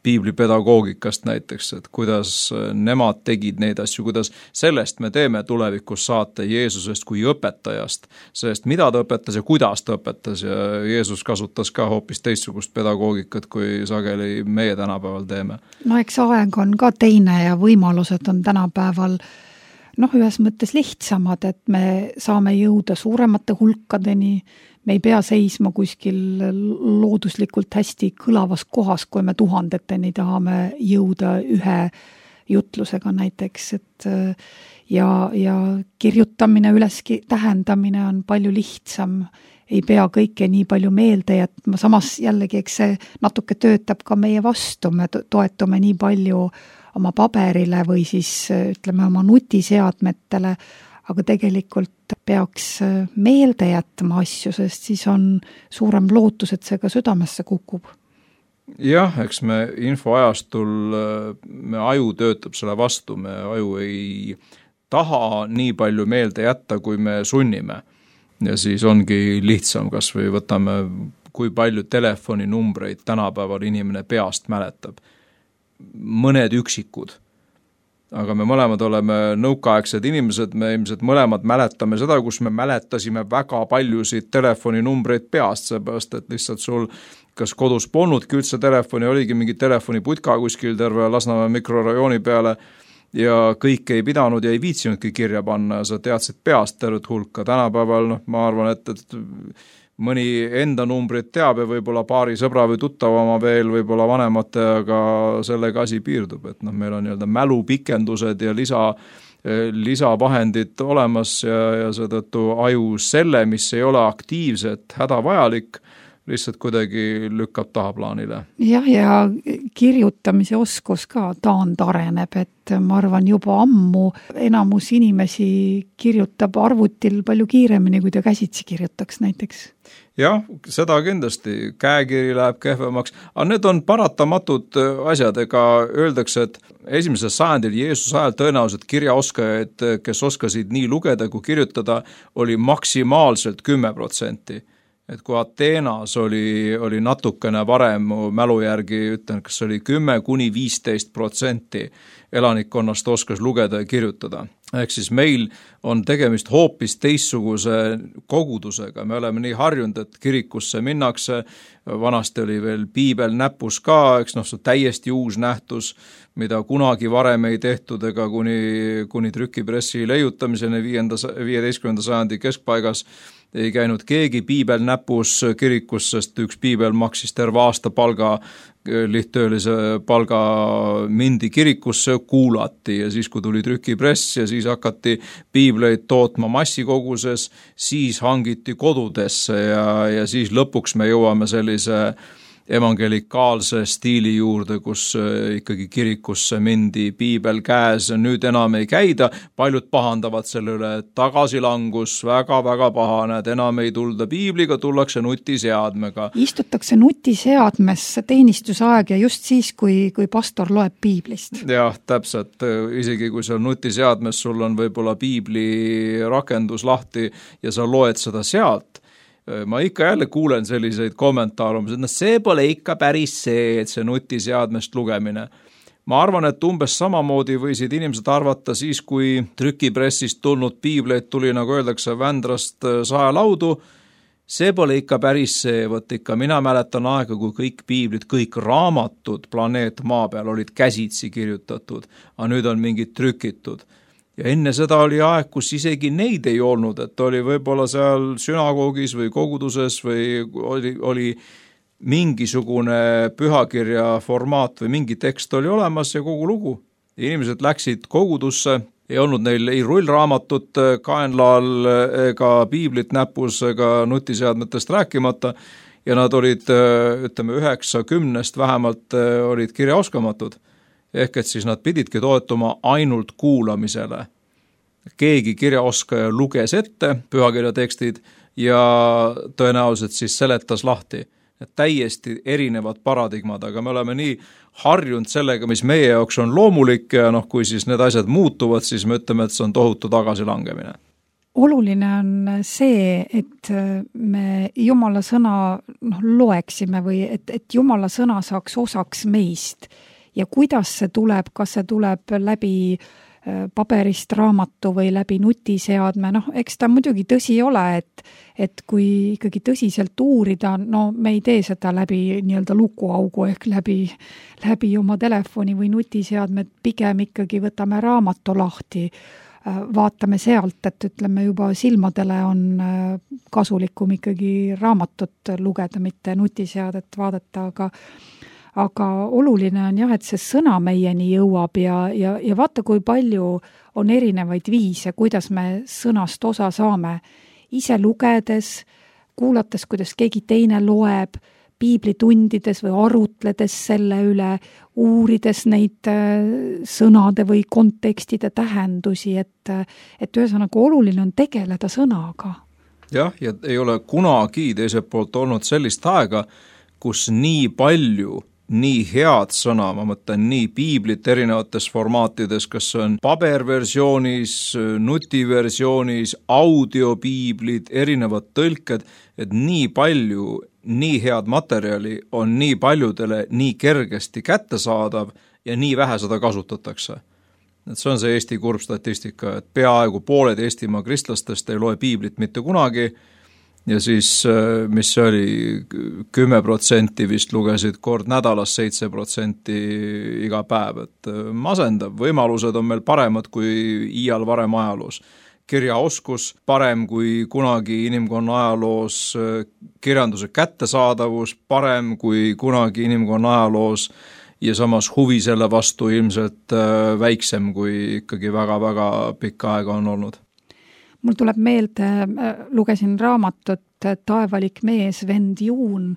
piiblipedagoogikast näiteks, et kuidas nemad tegid neid asju, kuidas sellest me teeme tulevikus saate Jeesusest kui õpetajast, sellest mida ta õpetas ja kuidas ta õpetas ja Jeesus kasutas ka hoopis teistsugust pedagoogikat, kui sageli meie tänapäeval teeme. No eks aeg on ka teine ja võimalused on tänapäeval noh, ühes mõttes lihtsamad, et me saame jõuda suuremate hulkadeni, me ei pea seisma kuskil looduslikult hästi kõlavas kohas, kui me tuhandeteni tahame jõuda ühe jutlusega näiteks, et ja, ja kirjutamine, üles tähendamine on palju lihtsam, ei pea kõike nii palju meelde jätma, samas jällegi, eks see natuke töötab ka meie vastu, me toetume nii palju oma paberile või siis ütleme oma nutiseadmetele, aga tegelikult peaks meelde jätma asju, sest siis on suurem lootus, et see ka südamesse kukub. Jah, eks me infoajastul, me aju töötab selle vastu, me aju ei taha nii palju meelde jätta, kui me sunnime. Ja siis ongi lihtsam, kas või võtame, kui palju telefoninumbreid tänapäeval inimene peast mäletab. Mõned üksikud. Aga me mõlemad oleme nõukaaegsed inimesed, me ilmselt mõlemad mäletame seda, kus me mäletasime väga paljusid telefoninumbreid peast, seepärast, et lihtsalt sul kas kodus polnudki üldse telefoni, oligi mingi telefoniputka kuskil terve Lasnamäe mikrorajooni peale ja kõik ei pidanud ja ei viitsinudki kirja panna ja sa teadsid peast tervet hulka. Tänapäeval, noh, ma arvan, et, et mõni enda numbrit teab ja võib-olla paari sõbra või tuttavama veel, võib-olla vanemate, aga sellega asi piirdub, et noh, meil on nii-öelda mälupikendused ja lisa, lisavahendid olemas ja, ja seetõttu aju selle, mis ei ole aktiivset, hädavajalik, lihtsalt kuidagi lükkab tahaplaanile. Jah, ja kirjutamise oskus ka taandareneb, et ma arvan juba ammu enamus inimesi kirjutab arvutil palju kiiremini, kui ta käsitsi kirjutaks näiteks. Jah, seda kindlasti, käekiri läheb kehvemaks, aga need on paratamatud asjad, ega öeldakse, et esimesel sajandil Jeesuse ajal tõenäoliselt kirjaoskajaid, kes oskasid nii lugeda kui kirjutada, oli maksimaalselt kümme protsenti. Et kui Ateenas oli, oli natukene varem, mälu järgi ütlen, kas oli kümme kuni viisteist protsenti elanikkonnast oskas lugeda ja kirjutada. Ehk siis meil on tegemist hoopis teistsuguse kogudusega. Me oleme nii harjunud, et kirikusse minnakse, vanasti oli veel piibel näpus ka, eks noh, see täiesti uus nähtus, mida kunagi varem ei tehtud ega kuni, kuni trükipressi leiutamiseni viieteistkümnenda sajandi keskpaigas ei käinud keegi piibel näpus kirikus, sest üks piibel maksis terve aasta palga, lihttöölise palga mindi kirikusse, kuulati ja siis, kui tuli trükipress ja siis hakati piibleid tootma massikoguses, siis hangiti kodudesse ja, ja siis lõpuks me jõuame sellise evangelikaalse stiili juurde, kus ikkagi kirikusse mindi piibel käes, nüüd enam ei käida, paljud pahandavad selle üle, tagasilangus, väga-väga pahane, et enam ei tulda piibliga, tullakse nutiseadmega. Istutakse nutiseadmes teenistusaeg ja just siis, kui, kui pastor loeb piiblist. Jah, täpselt, isegi kui seal nutiseadmes sul on võib-olla piibli rakendus lahti ja sa loed seda sealt, ma ikka jälle kuulen selliseid kommentaare, et no see pole ikka päris see, et see nutiseadmest lugemine. Ma arvan, et umbes samamoodi võisid inimesed arvata siis, kui trükipressist tulnud piibleid tuli, nagu öeldakse, Vändrast saelaudu, see pole ikka päris see, võt ikka mina mäletan aega, kui kõik piiblid, kõik raamatud planeet maa peal olid käsitsi kirjutatud, aga nüüd on mingid trükitud. Ja enne seda oli aeg, kus isegi neid ei olnud, et oli võib-olla seal sünagoogis või koguduses või oli, oli mingisugune pühakirja formaat või mingi tekst oli olemas ja kogu lugu. Inimesed läksid kogudusse, ei olnud neil ei rullraamatut kaenlaal ega piiblit näpus ega nutiseadmetest rääkimata ja nad olid, ütleme, üheksa kümnest vähemalt olid kirjaoskamatud. Ehk et siis nad pididki toetuma ainult kuulamisele. Keegi kirjaoskaja luges ette pühakirja tekstid ja tõenäoliselt siis seletas lahti. Et täiesti erinevad paradigmad, aga me oleme nii harjunud sellega, mis meie jaoks on loomulik ja noh, kui siis need asjad muutuvad, siis me ütleme, et see on tohutu tagasilangemine. Oluline on see, et me Jumala sõna noh, loeksime või et, et Jumala sõna saaks osaks meist. Ja kuidas see tuleb, kas see tuleb läbi paberist raamatu või läbi nutiseadme, noh, eks ta muidugi tõsi ole, et, et kui ikkagi tõsiselt uurida, no me ei tee seda läbi nii-öelda lukuaugu ehk läbi, läbi oma telefoni või nutiseadmed, pigem ikkagi võtame raamatu lahti, vaatame sealt, et ütleme juba silmadele on kasulikum ikkagi raamatut lugeda, mitte nutiseadet vaadata, aga aga oluline on jah, et see sõna meieni jõuab ja, ja, ja vaata, kui palju on erinevaid viise, kuidas me sõnast osa saame. Ise lugedes, kuulates, kuidas keegi teine loeb, piiblitundides või arutledes selle üle, uurides neid sõnade või kontekstide tähendusi, et, et ühesõnaga oluline on tegeleda sõnaga. Jah, ja ei ole kunagi teiselt poolt olnud sellist aega, kus nii palju nii head sõna, ma mõtlen nii piiblit erinevates formaatides, kas on paberversioonis, nutiversioonis, audiopiiblid, erinevad tõlked, et nii palju, nii head materjali on nii paljudele nii kergesti kättesaadav ja nii vähe seda kasutatakse. Et see on see Eesti kurb statistika, et peaaegu pooled Eestimaa kristlastest ei loe piiblit mitte kunagi, ja siis, mis see oli, kümme protsenti vist lugesid kord nädalas, seitse protsenti iga päev, et masendav, võimalused on meil paremad kui iial varem ajaloos. kirjaoskus, parem kui kunagi inimkonna ajaloos kirjanduse kättesaadavus, parem kui kunagi inimkonna ajaloos ja samas huvi selle vastu ilmselt väiksem kui ikkagi väga-väga pikka aega on olnud. Mul tuleb meelde, lugesin raamatut Taevalik mees, vend Juun,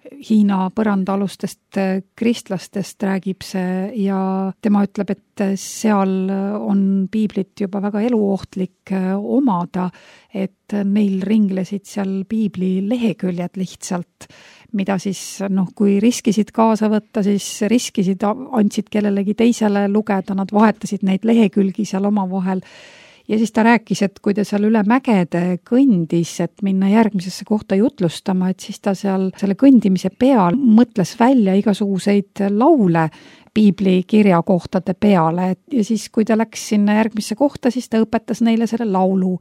Hiina põrandaalustest kristlastest räägib see ja tema ütleb, et seal on piiblit juba väga eluohtlik omada, et neil ringlesid seal piibli leheküljed lihtsalt, mida siis, noh, kui riskisid kaasa võtta, siis riskisid, andsid kellelegi teisele lugeda, nad vahetasid neid lehekülgi seal omavahel. Ja siis ta rääkis, et kui ta seal üle mägede kõndis, et minna järgmisesse kohta jutlustama, et siis ta seal selle kõndimise peal mõtles välja igasuguseid laule piibli kirjakohtade peale ja siis, kui ta läks sinna järgmisse kohta, siis ta õpetas neile selle laulu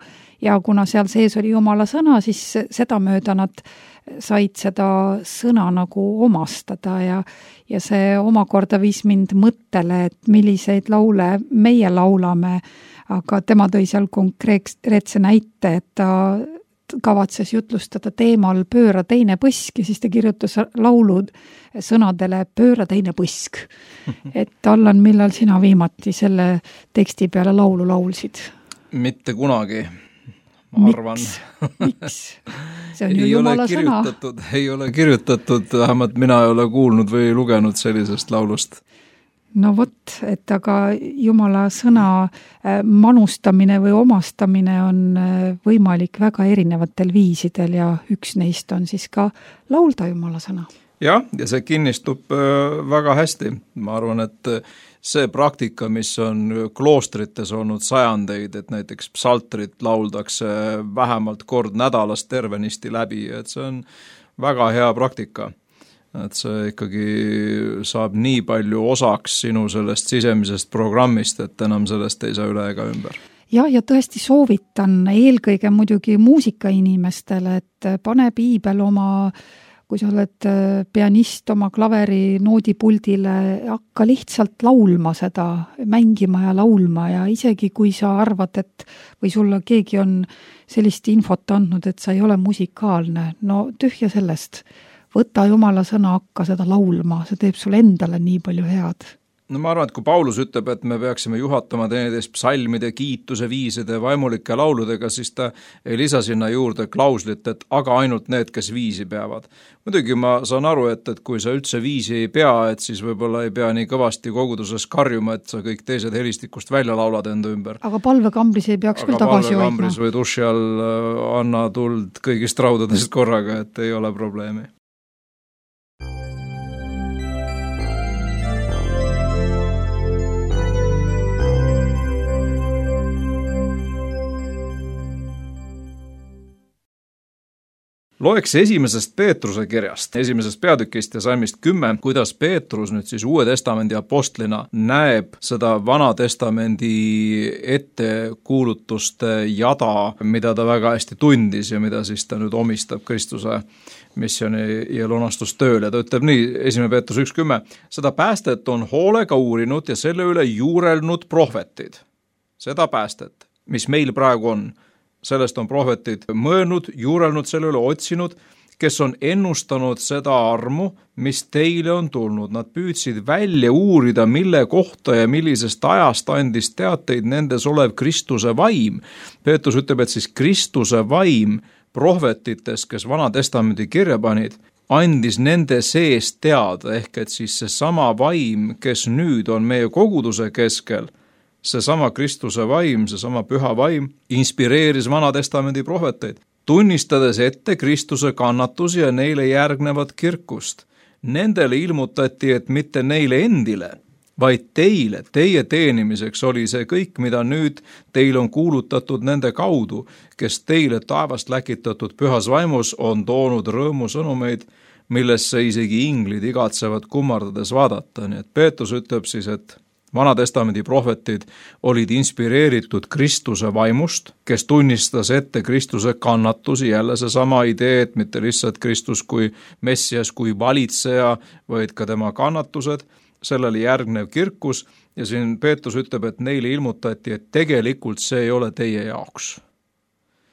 ja kuna seal sees oli Jumala sõna, siis seda mööda nad said seda sõna nagu omastada ja, ja see omakorda viis mind mõttele, et milliseid laule meie laulame, aga tema tõi seal konkreetse näite, et ta kavatses jutlustada teemal Pööra teine põsk ja siis ta kirjutas laulud sõnadele Pööra teine põsk. Et Allan, millal sina viimati selle teksti peale laulu laulsid? Mitte kunagi, ma arvan. Miks? Miks? See on ju Jumala sõna. Ei ole kirjutatud, vähemalt mina ei ole kuulnud või lugenud sellisest laulust. No vot, et aga Jumala sõna manustamine või omastamine on võimalik väga erinevatel viisidel ja üks neist on siis ka laulda Jumala sõna. Jah, ja see kinnistub väga hästi. Ma arvan, et see praktika, mis on kloostrites olnud sajandeid, et näiteks psaltrit lauldakse vähemalt kord nädalas tervenisti läbi, et see on väga hea praktika. Et see ikkagi saab nii palju osaks sinu sellest sisemisest programmist, et enam sellest ei saa üle ega ümber. Ja, ja tõesti soovitan eelkõige muidugi muusikainimestele, et pane piibel oma, kui sa oled pianist oma klaveri noodipuldile, hakka lihtsalt laulma seda, mängima ja laulma ja isegi kui sa arvad, et või sulle keegi on sellist infot andnud, et sa ei ole musikaalne, no tühja sellest. Võta Jumala sõna, hakka seda laulma, see teeb sulle endale nii palju head. No ma arvan, et kui Paulus ütleb, et me peaksime juhatama teineteist psalmide, kiituse, viiside, vaimulike lauludega, siis ta ei lisa sinna juurde klauslit, et aga ainult need, kes viisi peavad. Muidugi ma saan aru, et, et kui sa üldse viisi ei pea, et siis võib-olla ei pea nii kõvasti koguduses karjuma, et sa kõik teised helistikust välja laulad enda ümber. Aga palvekambris ei peaks aga küll tagasi hoidma. Aga palvekambris või duši all anna tuld kõigist raudadest korraga, et ei ole probleemi. Loeks esimesest Peetruse kirjast, esimesest peatükist ja salmist kümme, kuidas Peetrus nüüd siis Uue Testamendi apostlina näeb seda Vana Testamendi ettekuulutuste jada, mida ta väga hästi tundis ja mida siis ta nüüd omistab Kristuse missiooni ja lunastustööle. Ta ütleb nii, esimene Peetrus üks kümme, seda päästet on hoolega uurinud ja selle üle juurelnud prohvetid. Seda päästet, mis meil praegu on. Sellest on prohvetid mõelnud, juurelnud selle üle, otsinud, kes on ennustanud seda armu, mis teile on tulnud. Nad püüdsid välja uurida, mille kohta ja millisest ajast andis teateid nendes olev Kristuse vaim. Peetrus ütleb, et siis Kristuse vaim prohvetites, kes Vana Testamendi kirja panid, andis nende sees teada, ehk et siis see sama vaim, kes nüüd on meie koguduse keskel, see sama Kristuse vaim, see sama püha vaim, inspireeris Vana Testamendi prohveteid, tunnistades ette Kristuse kannatusi ja neile järgnevat kirkust. Nendele ilmutati, et mitte neile endile, vaid teile, teie teenimiseks oli see kõik, mida nüüd teil on kuulutatud nende kaudu, kes teile taevast läkitatud pühas vaimus on toonud rõõmusõnumeid, millesse isegi inglid igatsevad kummardades vaadata. Nii et Peetrus ütleb siis, et Vana Testamendi prohvetid olid inspireeritud Kristuse vaimust, kes tunnistas ette Kristuse kannatusi, jälle see sama idee, et mitte lihtsalt Kristus kui Messias, kui valitseja, vaid ka tema kannatused, sellele järgnev kirkus ja siin Peetrus ütleb, et neile ilmutati, et tegelikult see ei ole teie jaoks.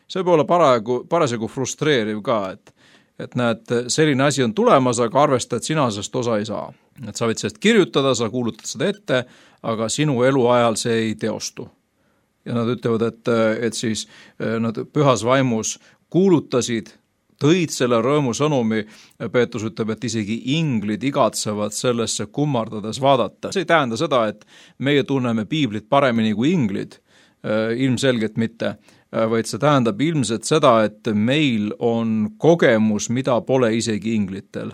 See võib olla paraegu, parasjagu frustreeriv ka, et, et näed, selline asi on tulemas, aga arvesta, et sina sellest osa ei saa. Et sa võid sellest kirjutada, sa kuulutad seda ette, aga sinu eluajal see ei teostu. Ja nad ütlevad, et, et siis nad pühas vaimus kuulutasid, tõid selle rõõmu sõnumi, Peetrus ütleb, et isegi inglid igatsevad sellesse kummardades vaadata. See ei tähenda seda, et meie tunneme piiblit paremini kui inglid, ilmselgelt mitte, vaid see tähendab ilmselt seda, et meil on kogemus, mida pole isegi inglitel.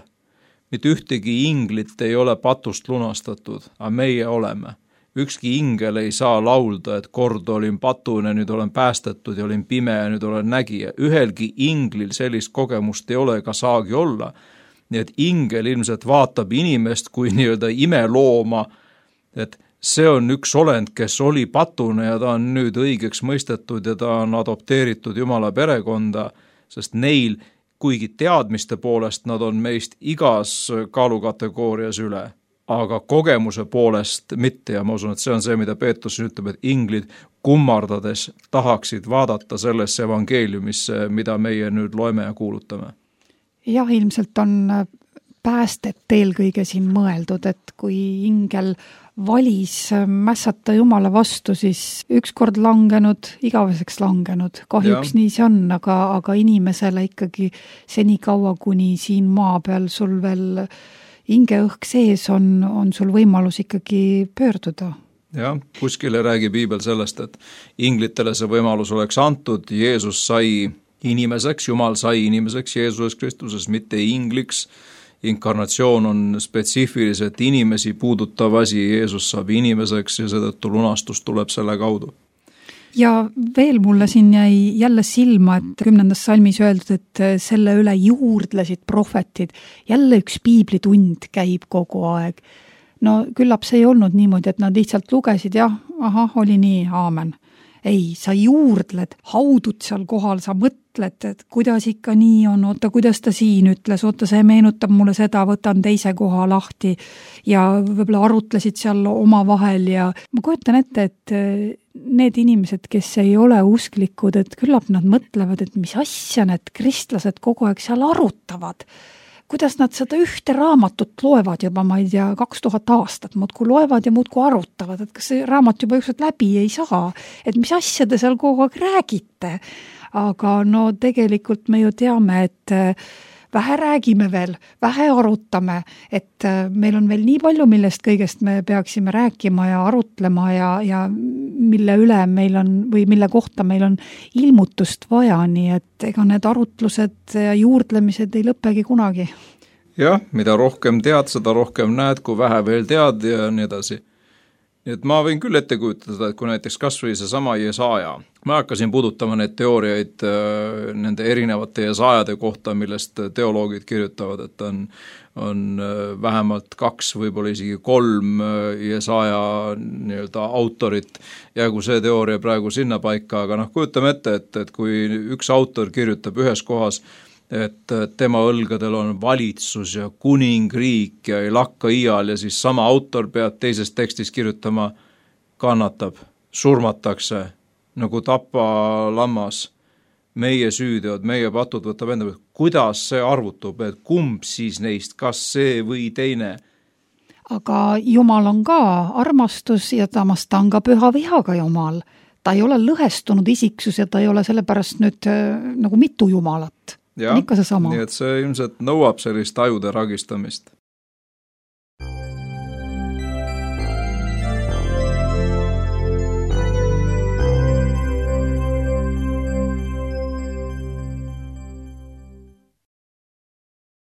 Mitte ühtegi inglit ei ole patust lunastatud, aga meie oleme. Ükski ingel ei saa laulda, et kord olin patune, nüüd olen päästetud ja olin pime ja nüüd olen nägija. Ühelgi inglil sellist kogemust ei ole ega saagi olla. Nii et ingel ilmselt vaatab inimest kui nii-öelda imelooma, et see on üks olend, kes oli patune ja ta on nüüd õigeks mõistetud ja ta on adopteeritud Jumala perekonda, sest neil, kuigi teadmiste poolest nad on meist igas kaalukategoorias üle, aga kogemuse poolest mitte ja ma usun, et see on see, mida Peetrus ütleb, et inglid kummardades tahaksid vaadata sellesse evangeeliumisse, mida meie nüüd loeme ja kuulutame. Jah, ilmselt on päästet eelkõige siin mõeldud, et kui ingel valis mässata Jumala vastu, siis ükskord langenud, igaveseks langenud. Kahjuks ja. Nii see on, aga, aga inimesele ikkagi seni kaua, kuni siin maa peal sul veel hingeõhk sees on, on sul võimalus ikkagi pöörduda. Jah, kuskile räägib Piibel sellest, et inglitele see võimalus oleks antud, Jeesus sai inimeseks, Jumal sai inimeseks Jeesuses Kristuses, mitte ingliks. Inkarnatsioon on spetsiifiliselt inimesi puudutav asi, Jeesus saab inimeseks ja seetõttu lunastus tuleb selle kaudu. Ja veel mulle siin jäi jälle silma, et kümnendas salmis öeldud, et selle üle juurdlesid prohvetid. Jälle üks piiblitund käib kogu aeg. No küllap see ei olnud niimoodi, et nad lihtsalt lugesid, jah, aha, oli nii, aamen. Ei, sa juurdled, haudud seal kohal, sa mõtled, et kuidas ikka nii on, oota, kuidas ta siin ütles, oota, see meenutab mulle seda, võtan teise koha lahti ja võib-olla arutlesid seal oma vahel ja ma kujutan ette, et need inimesed, kes ei ole usklikud, et küllap nad mõtlevad, et mis asja need kristlased kogu aeg seal arutavad. Kuidas nad seda ühte raamatut loevad juba, ma ei tea, kaks tuhat aastat, muudku loevad ja muudku arutavad, et kas see raamat juba ükskord läbi ei saa, et mis asja te seal kogu aeg räägite. Aga no tegelikult me ju teame, et vähe räägime veel, vähe arutame, et meil on veel nii palju, millest kõigest me peaksime rääkima ja arutlema ja, ja mille üle meil on või mille kohta meil on ilmutust vaja, nii et ega need arutlused ja juurdlemised ei lõpegi kunagi. Jah, mida rohkem tead, seda rohkem näed, kui vähe veel tead ja nii edasi. Nii et ma võin küll ette kujutada, et kui näiteks kas või see sama Jesaja, ma hakkasin puudutama neid teooriaid nende erinevate Jesajade kohta, millest teoloogid kirjutavad, et on, on vähemalt kaks, võib-olla isegi kolm Jesaja nii-öelda autorit, jäägu see teooria praegu sinna paika, aga noh, kujutame ette, et, et kui üks autor kirjutab ühes kohas, et tema õlgadel on valitsus ja kuningriik ja ei lakka iial ja siis sama autor peab teises tekstis kirjutama, kannatab, surmatakse, nagu tapa lammas, meie süüdeod, meie patud võtab enda pealt. Kuidas see arvutub, et kumb siis neist, kas see või teine? Aga Jumal on ka armastus ja tamas ta on ka püha vihaga Jumal. Ta ei ole lõhestunud isiksus ja ta ei ole sellepärast nüüd nagu mitu Jumalat. Ja, nii et see ilmselt nõuab sellist ajude ragistamist.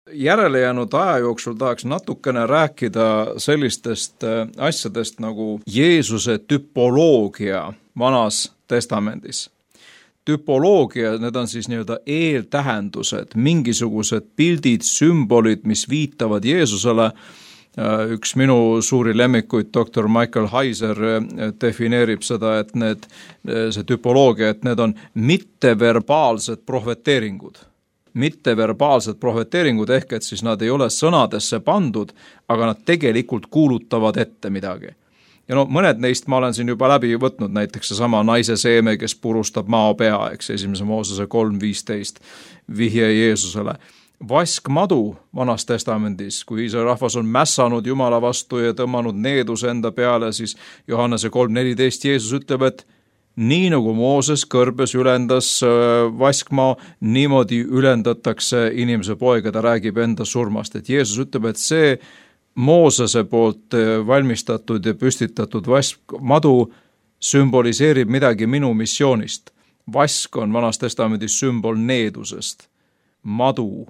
Järele jäänud aja jooksul tahaks natukene rääkida sellistest asjadest nagu Jeesuse tüpoloogia Vanas Testamendis. Tüpoloogia, need on siis nii-öelda eeltähendused, mingisugused pildid, sümbolid, mis viitavad Jeesusele. Üks minu suuri lemmikuid, doktor Michael Heiser, defineerib seda, et need, see tüpoloogia, et need on mitteverbaalsed prohveteeringud. mitteverbaalsed prohveteeringud, ehk et siis nad ei ole sõnadesse pandud, aga nad tegelikult kuulutavad ette midagi. Ja no mõned neist ma olen siin juba läbi võtnud, näiteks seesama naise seeme, kes purustab mao pea, eks esimese Moosese kolm viisteist vihje Jeesusele. Vaskmadu Vanas Testamendis, kui Iisraeli rahvas on mässanud Jumala vastu ja tõmmanud needuse enda peale, siis Johannese kolm neliteist Jeesus ütleb, et nii nagu Mooses kõrbes ülendas vaskmaa, niimoodi ülendatakse inimese poega, ta räägib enda surmast. Et Jeesus ütleb, et see Moosese poolt valmistatud ja püstitatud vaskmadu sümboliseerib midagi minu missioonist. Vask on Vanas Testamendis sümbol needusest. Madu,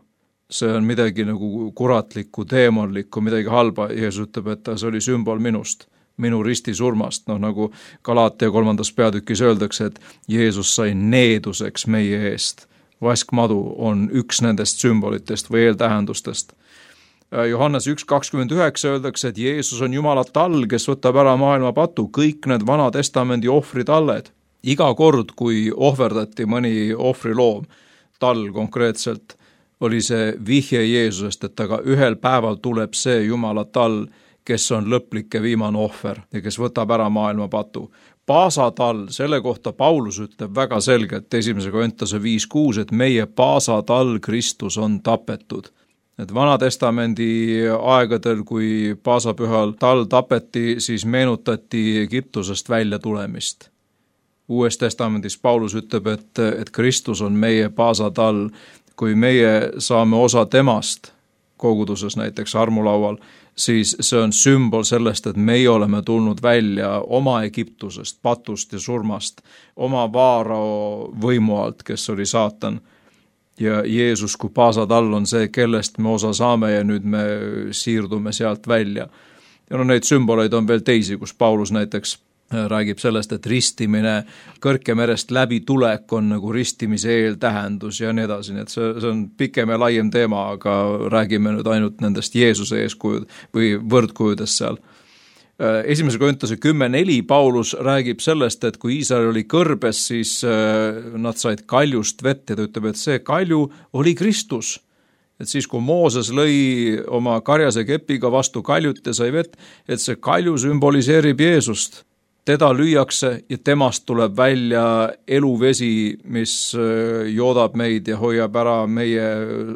see on midagi nagu kuratlikku, teemonlikku, midagi halba. Jeesus ütleb, et see oli sümbol minust, minu risti surmast. No nagu Galaatia kolmandas peatükis öeldakse, et Jeesus sai needuseks meie eest. Vaskmadu on üks nendest sümbolitest või eeltähendustest. Johannes üks kakskümmend üheksa öeldakse, et Jeesus on Jumala tall, kes võtab ära maailma patu, kõik need Vana Testamendi ohvritalled. Iga kord, kui ohverdati mõni ohvriloom, tall konkreetselt, oli see vihje Jeesusest, et aga ühel päeval tuleb see Jumala tall, kes on lõplik ja viimane ohver ja kes võtab ära maailma patu. Paasatall, selle kohta Paulus ütleb väga selgelt esimese Korintuse viis kuus, et meie paasatall Kristus on tapetud. Et Vana Testamendi aegadel, kui paasapühal tall tapeti, siis meenutati Egiptusest välja tulemist. Uues Testamendis Paulus ütleb, et, et Kristus on meie paasatall, kui meie saame osa temast koguduses näiteks armulaual, siis see on sümbol sellest, et meie oleme tulnud välja oma Egiptusest, patust ja surmast, oma vaarao võimu alt, kes oli saatan. Ja Jeesus kui paasatall on see, kellest me osa saame ja nüüd me siirdume sealt välja. Ja no neid sümboleid on veel teisi, kus Paulus näiteks räägib sellest, et ristimine Kõrkemerest läbi tulek on nagu ristimise eeltähendus ja nii edasi, nii et see, see on pikem ja laiem teema, aga räägime nüüd ainult nendest Jeesuse eeskujud või võrdkujudest seal. Esimese Korintuse kümme neli Paulus räägib sellest, et kui Iisrael oli kõrbes, siis nad said kaljust vett ja ta ütleb, et see kalju oli Kristus. Et siis, kui Mooses lõi oma karjase kepiga vastu kaljut ja sai vett, et see kalju sümboliseerib Jeesust. Teda lüüakse ja temast tuleb välja eluvesi, mis joodab meid ja hoiab ära meie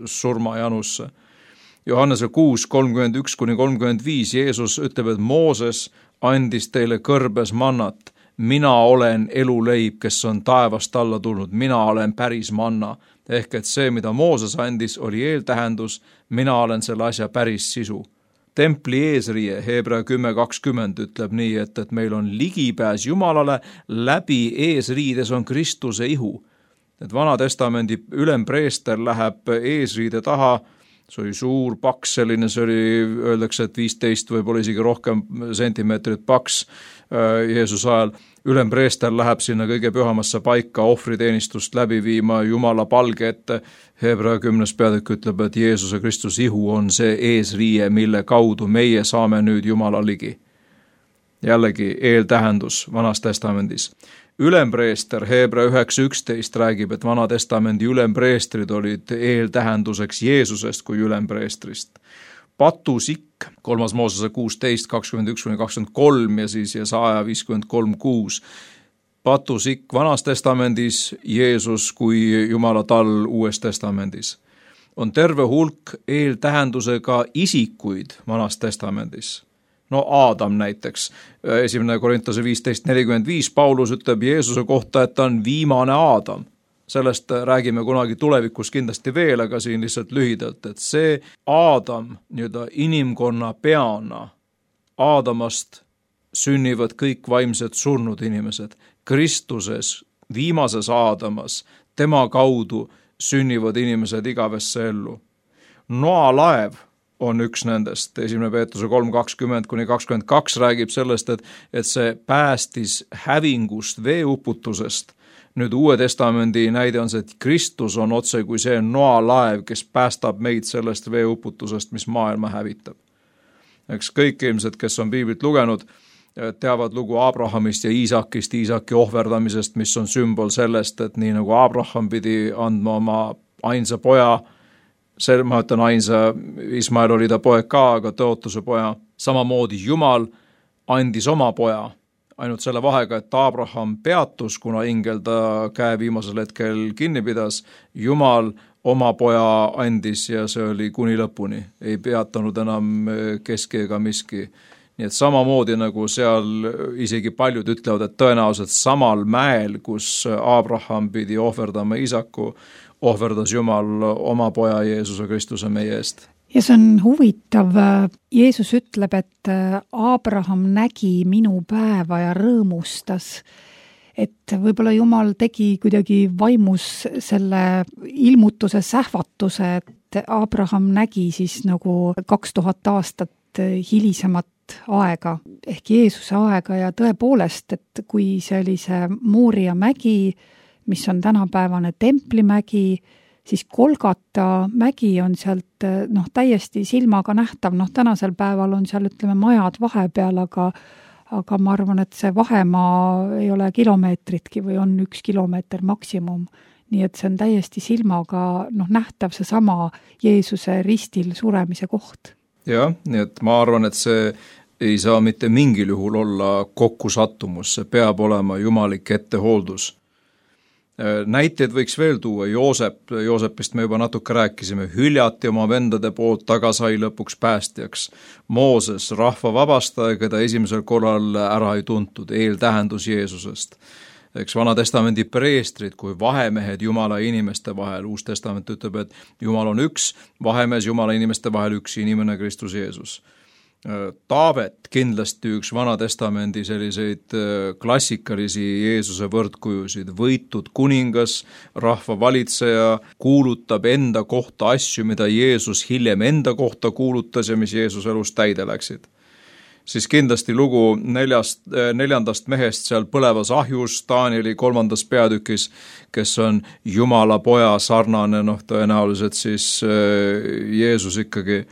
surmajanusse. Johannese kuus kolmkümmend üks kuni kolmkümmend viis Jeesus ütleb, et Mooses andis teile kõrbes mannat. Mina olen eluleib, kes on taevast alla tulnud. Mina olen päris manna. Ehk et see, mida Mooses andis, oli eeltähendus. Mina olen selle asja päris sisu. Templi eesriie, Hebra kümme kakskümmend ütleb nii, et, et meil on ligipääs Jumalale, läbi eesriides on Kristuse ihu. Et Vana Testamendi ülempreester läheb eesriide taha, see oli suur paks selline, see oli, öeldakse, et viisteist võib-olla isegi rohkem sentimeetrit paks Jeesuse ajal. Ülempreester läheb sinna kõige pühamasse paika ohvriteenistust läbi viima Jumala palge ette. Hebra kümnes peatükk ütleb, et Jeesuse Kristus ihu on see eesriie, mille kaudu meie saame nüüd Jumala ligi. Jällegi eeltähendus Vanas Testamendis. Ülempreester Hebra üheksa üksteist räägib, et Vana Testamendi ülempreestrid olid eeltähenduseks Jeesusest kui ülempreestrist. Patusikk, kolmas Moosese kuusteist kakskümmend üks kuni kakskümmend kolm ja siis Jesaja viiskümmend kolm kuus. Patusikk Vanas Testamendis, Jeesus kui Jumala tall Uues Testamendis. On terve hulk eeltähendusega isikuid Vanas Testamendis. No Aadam näiteks, esimene Korintuse viisteist nelikümmend viis, Paulus ütleb Jeesuse kohta, et ta on viimane Aadam. Sellest räägime kunagi tulevikus kindlasti veel, aga siin lihtsalt lühidalt, et see Aadam nii-öelda inimkonna peana, Aadamast sünnivad kõik vaimsed surnud inimesed. Kristuses, viimases Aadamas, tema kaudu sünnivad inimesed igavesse ellu. Noa laev on üks nendest, esimene Peetruse kolm kakskümmend kuni kakskümmend kaks räägib sellest, et, et see päästis hävingust, veeuputusest. Nüüd Uue Testamendi näide on see, et Kristus on otse kui see Noa laev, kes päästab meid sellest veeuputusest, mis maailma hävitab. Eks kõik ilmselt, kes on piiblit lugenud, teavad lugu Abrahamist ja Iisakist, Iisaki ohverdamisest, mis on sümbol sellest, et nii nagu Abraham pidi andma oma ainsa poja, see, ma ütlen ainsa, Ismael oli ta poeg ka, aga tõotuse poja, samamoodi Jumal andis oma poja, ainult selle vahega, et Abraham peatus, kuna ingel ta käe viimasel hetkel kinni pidas, Jumal oma poja andis ja see oli kuni lõpuni, ei peatanud enam keski ega miski. Nii et samamoodi nagu seal isegi paljud ütlevad, et tõenäoliselt samal mäel, kus Abraham pidi ohverdama isaku, ohverdas Jumal oma poja Jeesuse Kristuse meie eest. Ja see on huvitav. Jeesus ütleb, et Abraham nägi minu päeva ja rõõmustas. Et võib-olla Jumal tegi kuidagi vaimus selle ilmutuse sähvatuse, et Abraham nägi siis nagu kaks tuhat aastat hilisemat aega ehk Jeesuse aega ja tõepoolest, et kui see oli see Mooria mägi, mis on tänapäevane templimägi, siis Golgata mägi on sealt noh, täiesti silmaga nähtav, noh tänasel päeval on seal ütleme majad vahepeal, aga aga ma arvan, et see vahemaa ei ole kilomeetritki või on üks kilomeeter maksimum. Nii et see on täiesti silmaga noh, nähtav see sama Jeesuse ristil suremise koht. Jah, nii et ma arvan, et see ei saa mitte mingil juhul olla kokkusattumus, see peab olema jumalik ettehooldus. Näiteid võiks veel tuua, Joosep, Joosepist me juba natuke rääkisime, hüljati oma vendade poolt, taga sai lõpuks päästjaks. Mooses, rahva vabastaja, keda esimesel korral ära ei tuntud, eeltähendus Jeesusest. Eks Vana Testamendi preestrid kui vahemehed Jumala inimeste vahel, Uus Testament ütleb, et Jumal on üks, vahemees Jumala inimeste vahel üks inimene Kristus Jeesus. Taavet kindlasti üks Vana Testamendi selliseid klassikalisi Jeesuse võrdkujusid, võitud kuningas, rahva valitseja, kuulutab enda kohta asju, mida Jeesus hiljem enda kohta kuulutas ja mis Jeesuse elus täide läksid. Siis kindlasti lugu neljast, neljandast mehest seal põlevas ahjus, Taanieli kolmandas peatükis, kes on Jumala poja sarnane, noh tõenäoliselt siis Jeesus ikkagi.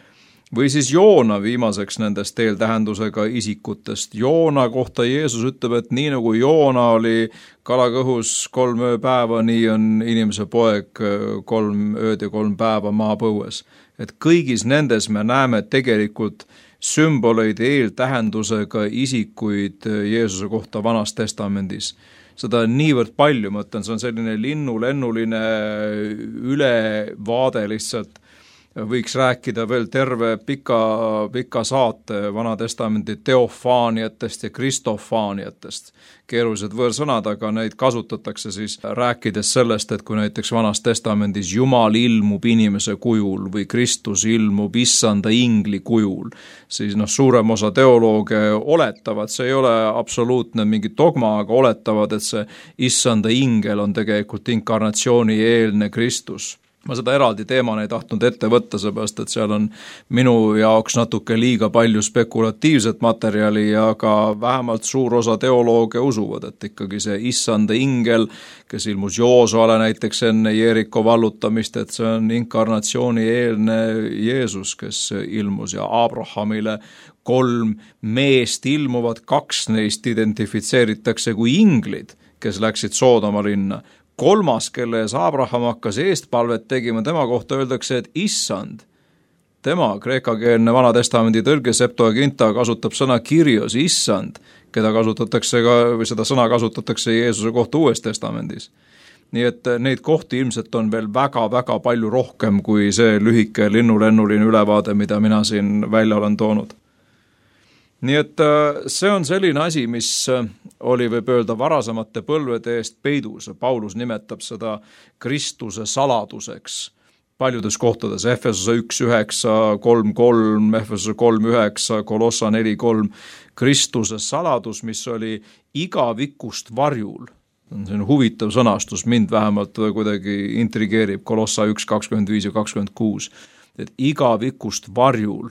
Või siis Joona viimaseks nendest eeltähendusega isikutest. Joona kohta Jeesus ütleb, et nii nagu Joona oli kalakõhus kolm ööpäeva, nii on inimese poeg kolm ööd ja kolm päeva maapõues. Et kõigis nendes me näeme tegelikult sümboleid eeltähendusega isikuid Jeesuse kohta Vanas Testamendis. Seda on niivõrd palju, ma ütlen, see on selline linnulennuline ülevaade lihtsalt. Võiks rääkida veel terve pika, pika saate Vana Testamendi teofaaniatest ja kristofaaniatest. Keerulised võõrsõnad, aga neid kasutatakse siis rääkides sellest, et kui näiteks Vanas Testamendis Jumal ilmub inimese kujul või Kristus ilmub issanda ingli kujul, siis noh, suurem osa teolooge oletavad, see ei ole absoluutne mingi dogma, aga oletavad, et see issanda ingel on tegelikult inkarnatsiooni eelne Kristus. Ma seda eraldi teemana ei tahtnud ette võtta, seepärast, et seal on minu jaoks natuke liiga palju spekulatiivset materjali, aga vähemalt suur osa teolooge usuvad, et ikkagi see issanda ingel, kes ilmus Joosuale näiteks enne Jeeriko vallutamist, et see on inkarnatsiooni eelne Jeesus, kes ilmus ja Abrahamile kolm meest ilmuvad, kaks neist identifitseeritakse kui inglid, kes läksid Soodoma linna. Kolmas, kelle ees Abraham hakkas eestpalvet tegima, tema kohta öeldakse, et issand. Tema, kreekakeelne Vana Testamendi tõlge Septuaginta kasutab sõna Kyrios, issand, keda kasutatakse ka, või seda sõna kasutatakse Jeesuse kohta Uues Testamendis. Nii et neid kohti ilmselt on veel väga-väga palju rohkem kui see lühike linnulennuline ülevaade, mida mina siin välja olen toonud. Nii et see on selline asi, mis oli, võib öelda, varasemate põlvede eest peidus. Paulus nimetab seda Kristuse saladuseks paljudes kohtades. Efesuse üks üheksa, kolm kolm, Efesuse kolm üheksa, Kolossa neli kolm. Kristuse saladus, mis oli igavikust varjul. See on huvitav sõnastus, mind vähemalt kuidagi intrigeerib. Kolossa üks kakskümmend viis ja kakskümmend kuus. Et igavikust varjul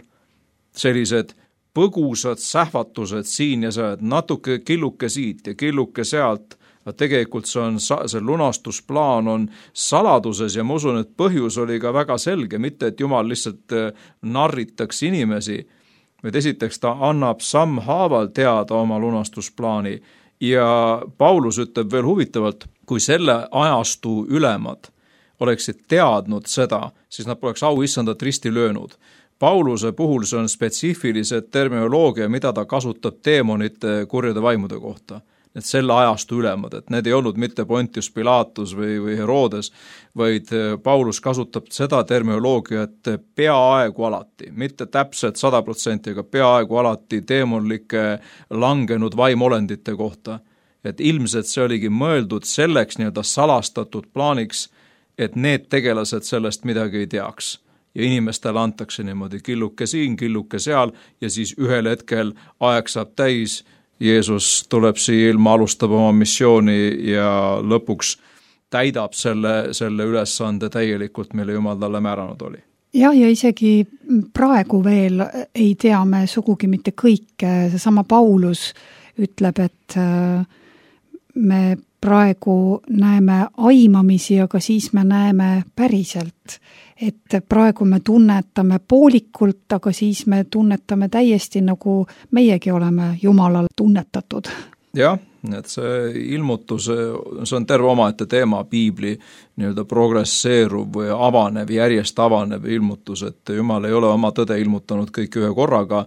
sellised põgusad sähvatused siin ja seal, natuke killuke siit ja killuke sealt, tegelikult see, on, see lunastusplaan on saladuses ja ma usun, et põhjus oli ka väga selge, mitte et Jumal lihtsalt narritaks inimesi, vaid esiteks ta annab sammhaaval teada oma lunastusplaani ja Paulus ütleb veel huvitavalt, kui selle ajastu ülemad oleksid teadnud seda, siis nad poleks auissandat risti löönud. Pauluse puhul see on spetsiifilised terminoloogia, mida ta kasutab teemonite kurjade vaimude kohta. Need selle ajastu ülemad, et need ei olnud mitte Pontius Pilatus või, või Herodes, vaid Paulus kasutab seda terminoloogiat peaaegu alati, mitte täpselt sada protsenti, aga peaaegu alati teemonlike langenud vaimolendite kohta. Et ilmselt see oligi mõeldud selleks nii-öelda salastatud plaaniks, et need tegelased sellest midagi ei teaks. Ja inimestele antakse niimoodi killuke siin, killuke seal ja siis ühel hetkel aeg saab täis. Jeesus tuleb siia ilma, alustab oma missiooni ja lõpuks täidab selle, selle ülesande täielikult, mille Jumal talle määranud oli. Ja, ja isegi praegu veel ei tea me sugugi mitte kõike. Seesama Paulus ütleb, et me praegu näeme aimamisi, aga siis me näeme päriselt. Et praegu me tunnetame poolikult, aga siis me tunnetame täiesti nagu meiegi oleme Jumalal tunnetatud. Jah, et see ilmutus, see on terve omaette teema, piibli nii-öelda progresseeruv või avanev, järjest avanev ilmutus, et Jumal ei ole oma tõde ilmutanud kõik ühe korraga.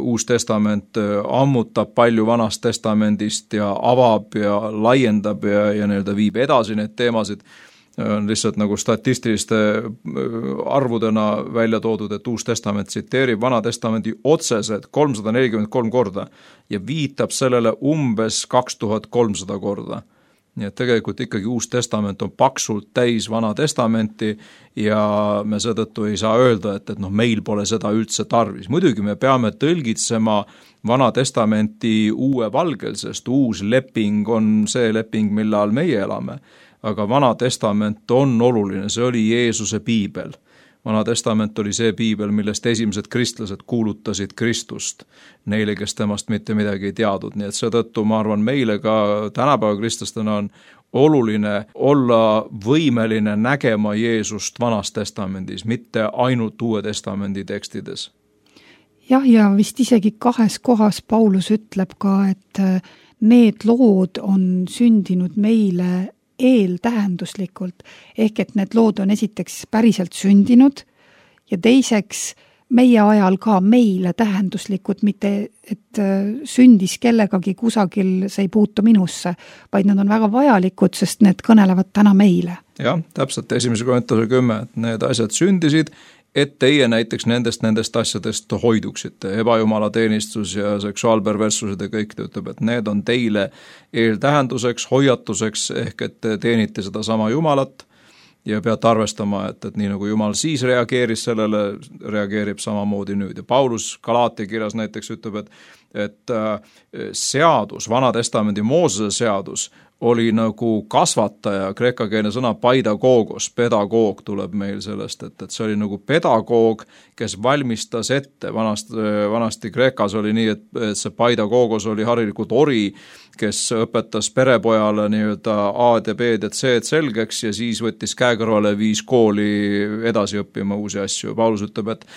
Uus testament ammutab palju vanast testamendist ja avab ja laiendab ja, ja nii-öelda viib edasi need teemasid. On lihtsalt nagu statistiliste arvudena välja toodud, et Uus testament tsiteerib Vana testamendi otseselt kolmsada nelikümmend kolm korda ja viitab sellele umbes kaks tuhat kolmsada korda. Nii et tegelikult ikkagi Uus testament on paksult täis Vana testamenti ja me seetõttu ei saa öelda, et, et noh, meil pole seda üldse tarvis. Muidugi me peame tõlgitsema Vana testamenti uue valgel, sest uus leping on see leping, mille all meie elame. Aga Vana testament on oluline, see oli Jeesuse piibel. Vana testament oli see piibel, millest esimesed kristlased kuulutasid Kristust, neile, kes temast mitte midagi ei teadnud. Nii et seetõttu ma arvan, meile ka tänapäeva kristlastena on oluline olla võimeline nägema Jeesust Vanas testamendis, mitte ainult Uue testamendi tekstides. Jah, ja vist isegi kahes kohas Paulus ütleb ka, et need lood on sündinud meile eeltähenduslikult, ehk et need lood on esiteks päriselt sündinud ja teiseks meie ajal ka meile tähenduslikud, mitte et sündis kellegagi kusagil, see ei puutu minusse, vaid nad on väga vajalikud, sest need kõnelevad täna meile. Jah, täpselt esimese Korintuse kümme, et need asjad sündisid, et teie näiteks nendest, nendest asjadest hoiduksite. Ebajumala teenistus ja seksuaalperverssused ja kõik ütleb, et need on teile eeltähenduseks, hoiatuseks, ehk et te teenite seda sama Jumalat ja peate arvestama, et, et nii nagu Jumal siis reageeris sellele, reageerib samamoodi nüüd. Ja Paulus Galaatia kirjas näiteks ütleb, et, et seadus, Vana testamendi Moosese seadus oli nagu kasvataja, kreekakeelne sõna paidagogos, pedagoog tuleb meil sellest, et, et see oli nagu pedagoog, kes valmistas ette, vanast, vanasti Kreekas oli nii, et, et see paidagogos oli harilikult ori, kes õpetas perepojale nii-öelda A-d ja B-d ja C-d selgeks ja siis võttis käekõrvale viis kooli edasi õppima uusi asju. Paulus ütleb, et,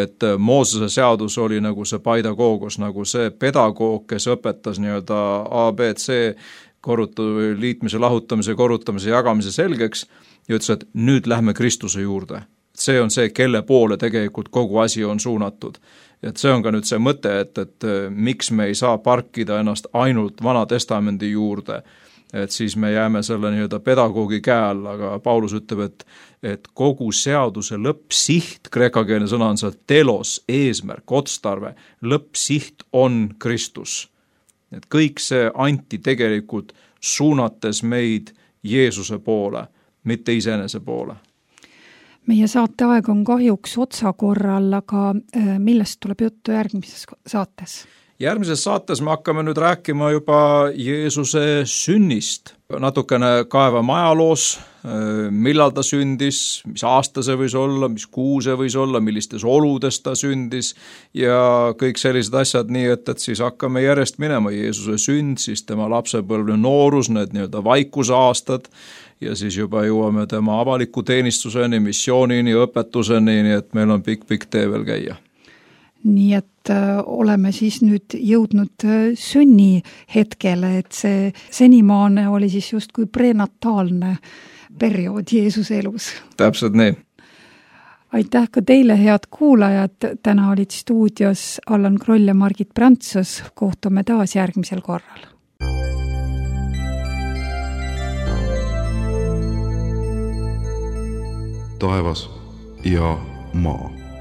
et Moosese seadus oli nagu see paidagogos, nagu see pedagoog, kes õpetas nii-öelda A, B, C korrutu, liitmise, lahutamise, korrutamise, jagamise selgeks ja ütles, et nüüd lähme Kristuse juurde. See on see, kelle poole tegelikult kogu asi on suunatud. Et see on ka nüüd see mõte, et, et miks me ei saa parkida ennast ainult Vana testamendi juurde, et siis me jääme selle nii-öelda pedagoogi käe all, aga Paulus ütleb, et, et kogu seaduse lõppsiht, kreekakeelne sõna on seal telos, eesmärk, otstarve, lõppsiht on Kristus. Et kõik see anti tegelikult suunates meid Jeesuse poole, mitte iseenese poole. Meie saate aeg on kahjuks otsakorral, aga millest tuleb juttu järgmises saates? Järgmises saates me hakkame nüüd rääkima juba Jeesuse sünnist. Natukene kaevame ajaloos, millal ta sündis, mis aasta see võis olla, mis kuu see võis olla, millistes oludes ta sündis ja kõik sellised asjad, nii et, et siis hakkame järjest minema Jeesuse sünd, siis tema lapsepõlve noorus, need nii-öelda vaikuse aastad ja siis juba jõuame tema avaliku teenistuseni, missioonini, õpetuseni, nii et meil on pikk-pikk tee veel käia. Nii et äh, oleme siis nüüd jõudnud äh, sünni hetkele, et see senimaane oli siis justkui prenataalne periood Jeesuse elus. Täpselt nii. Aitäh ka teile, head kuulajad. Täna olid stuudios Allan Kroll ja Margit Prantsus. Kohtume taas järgmisel korral. Taevas ja maa.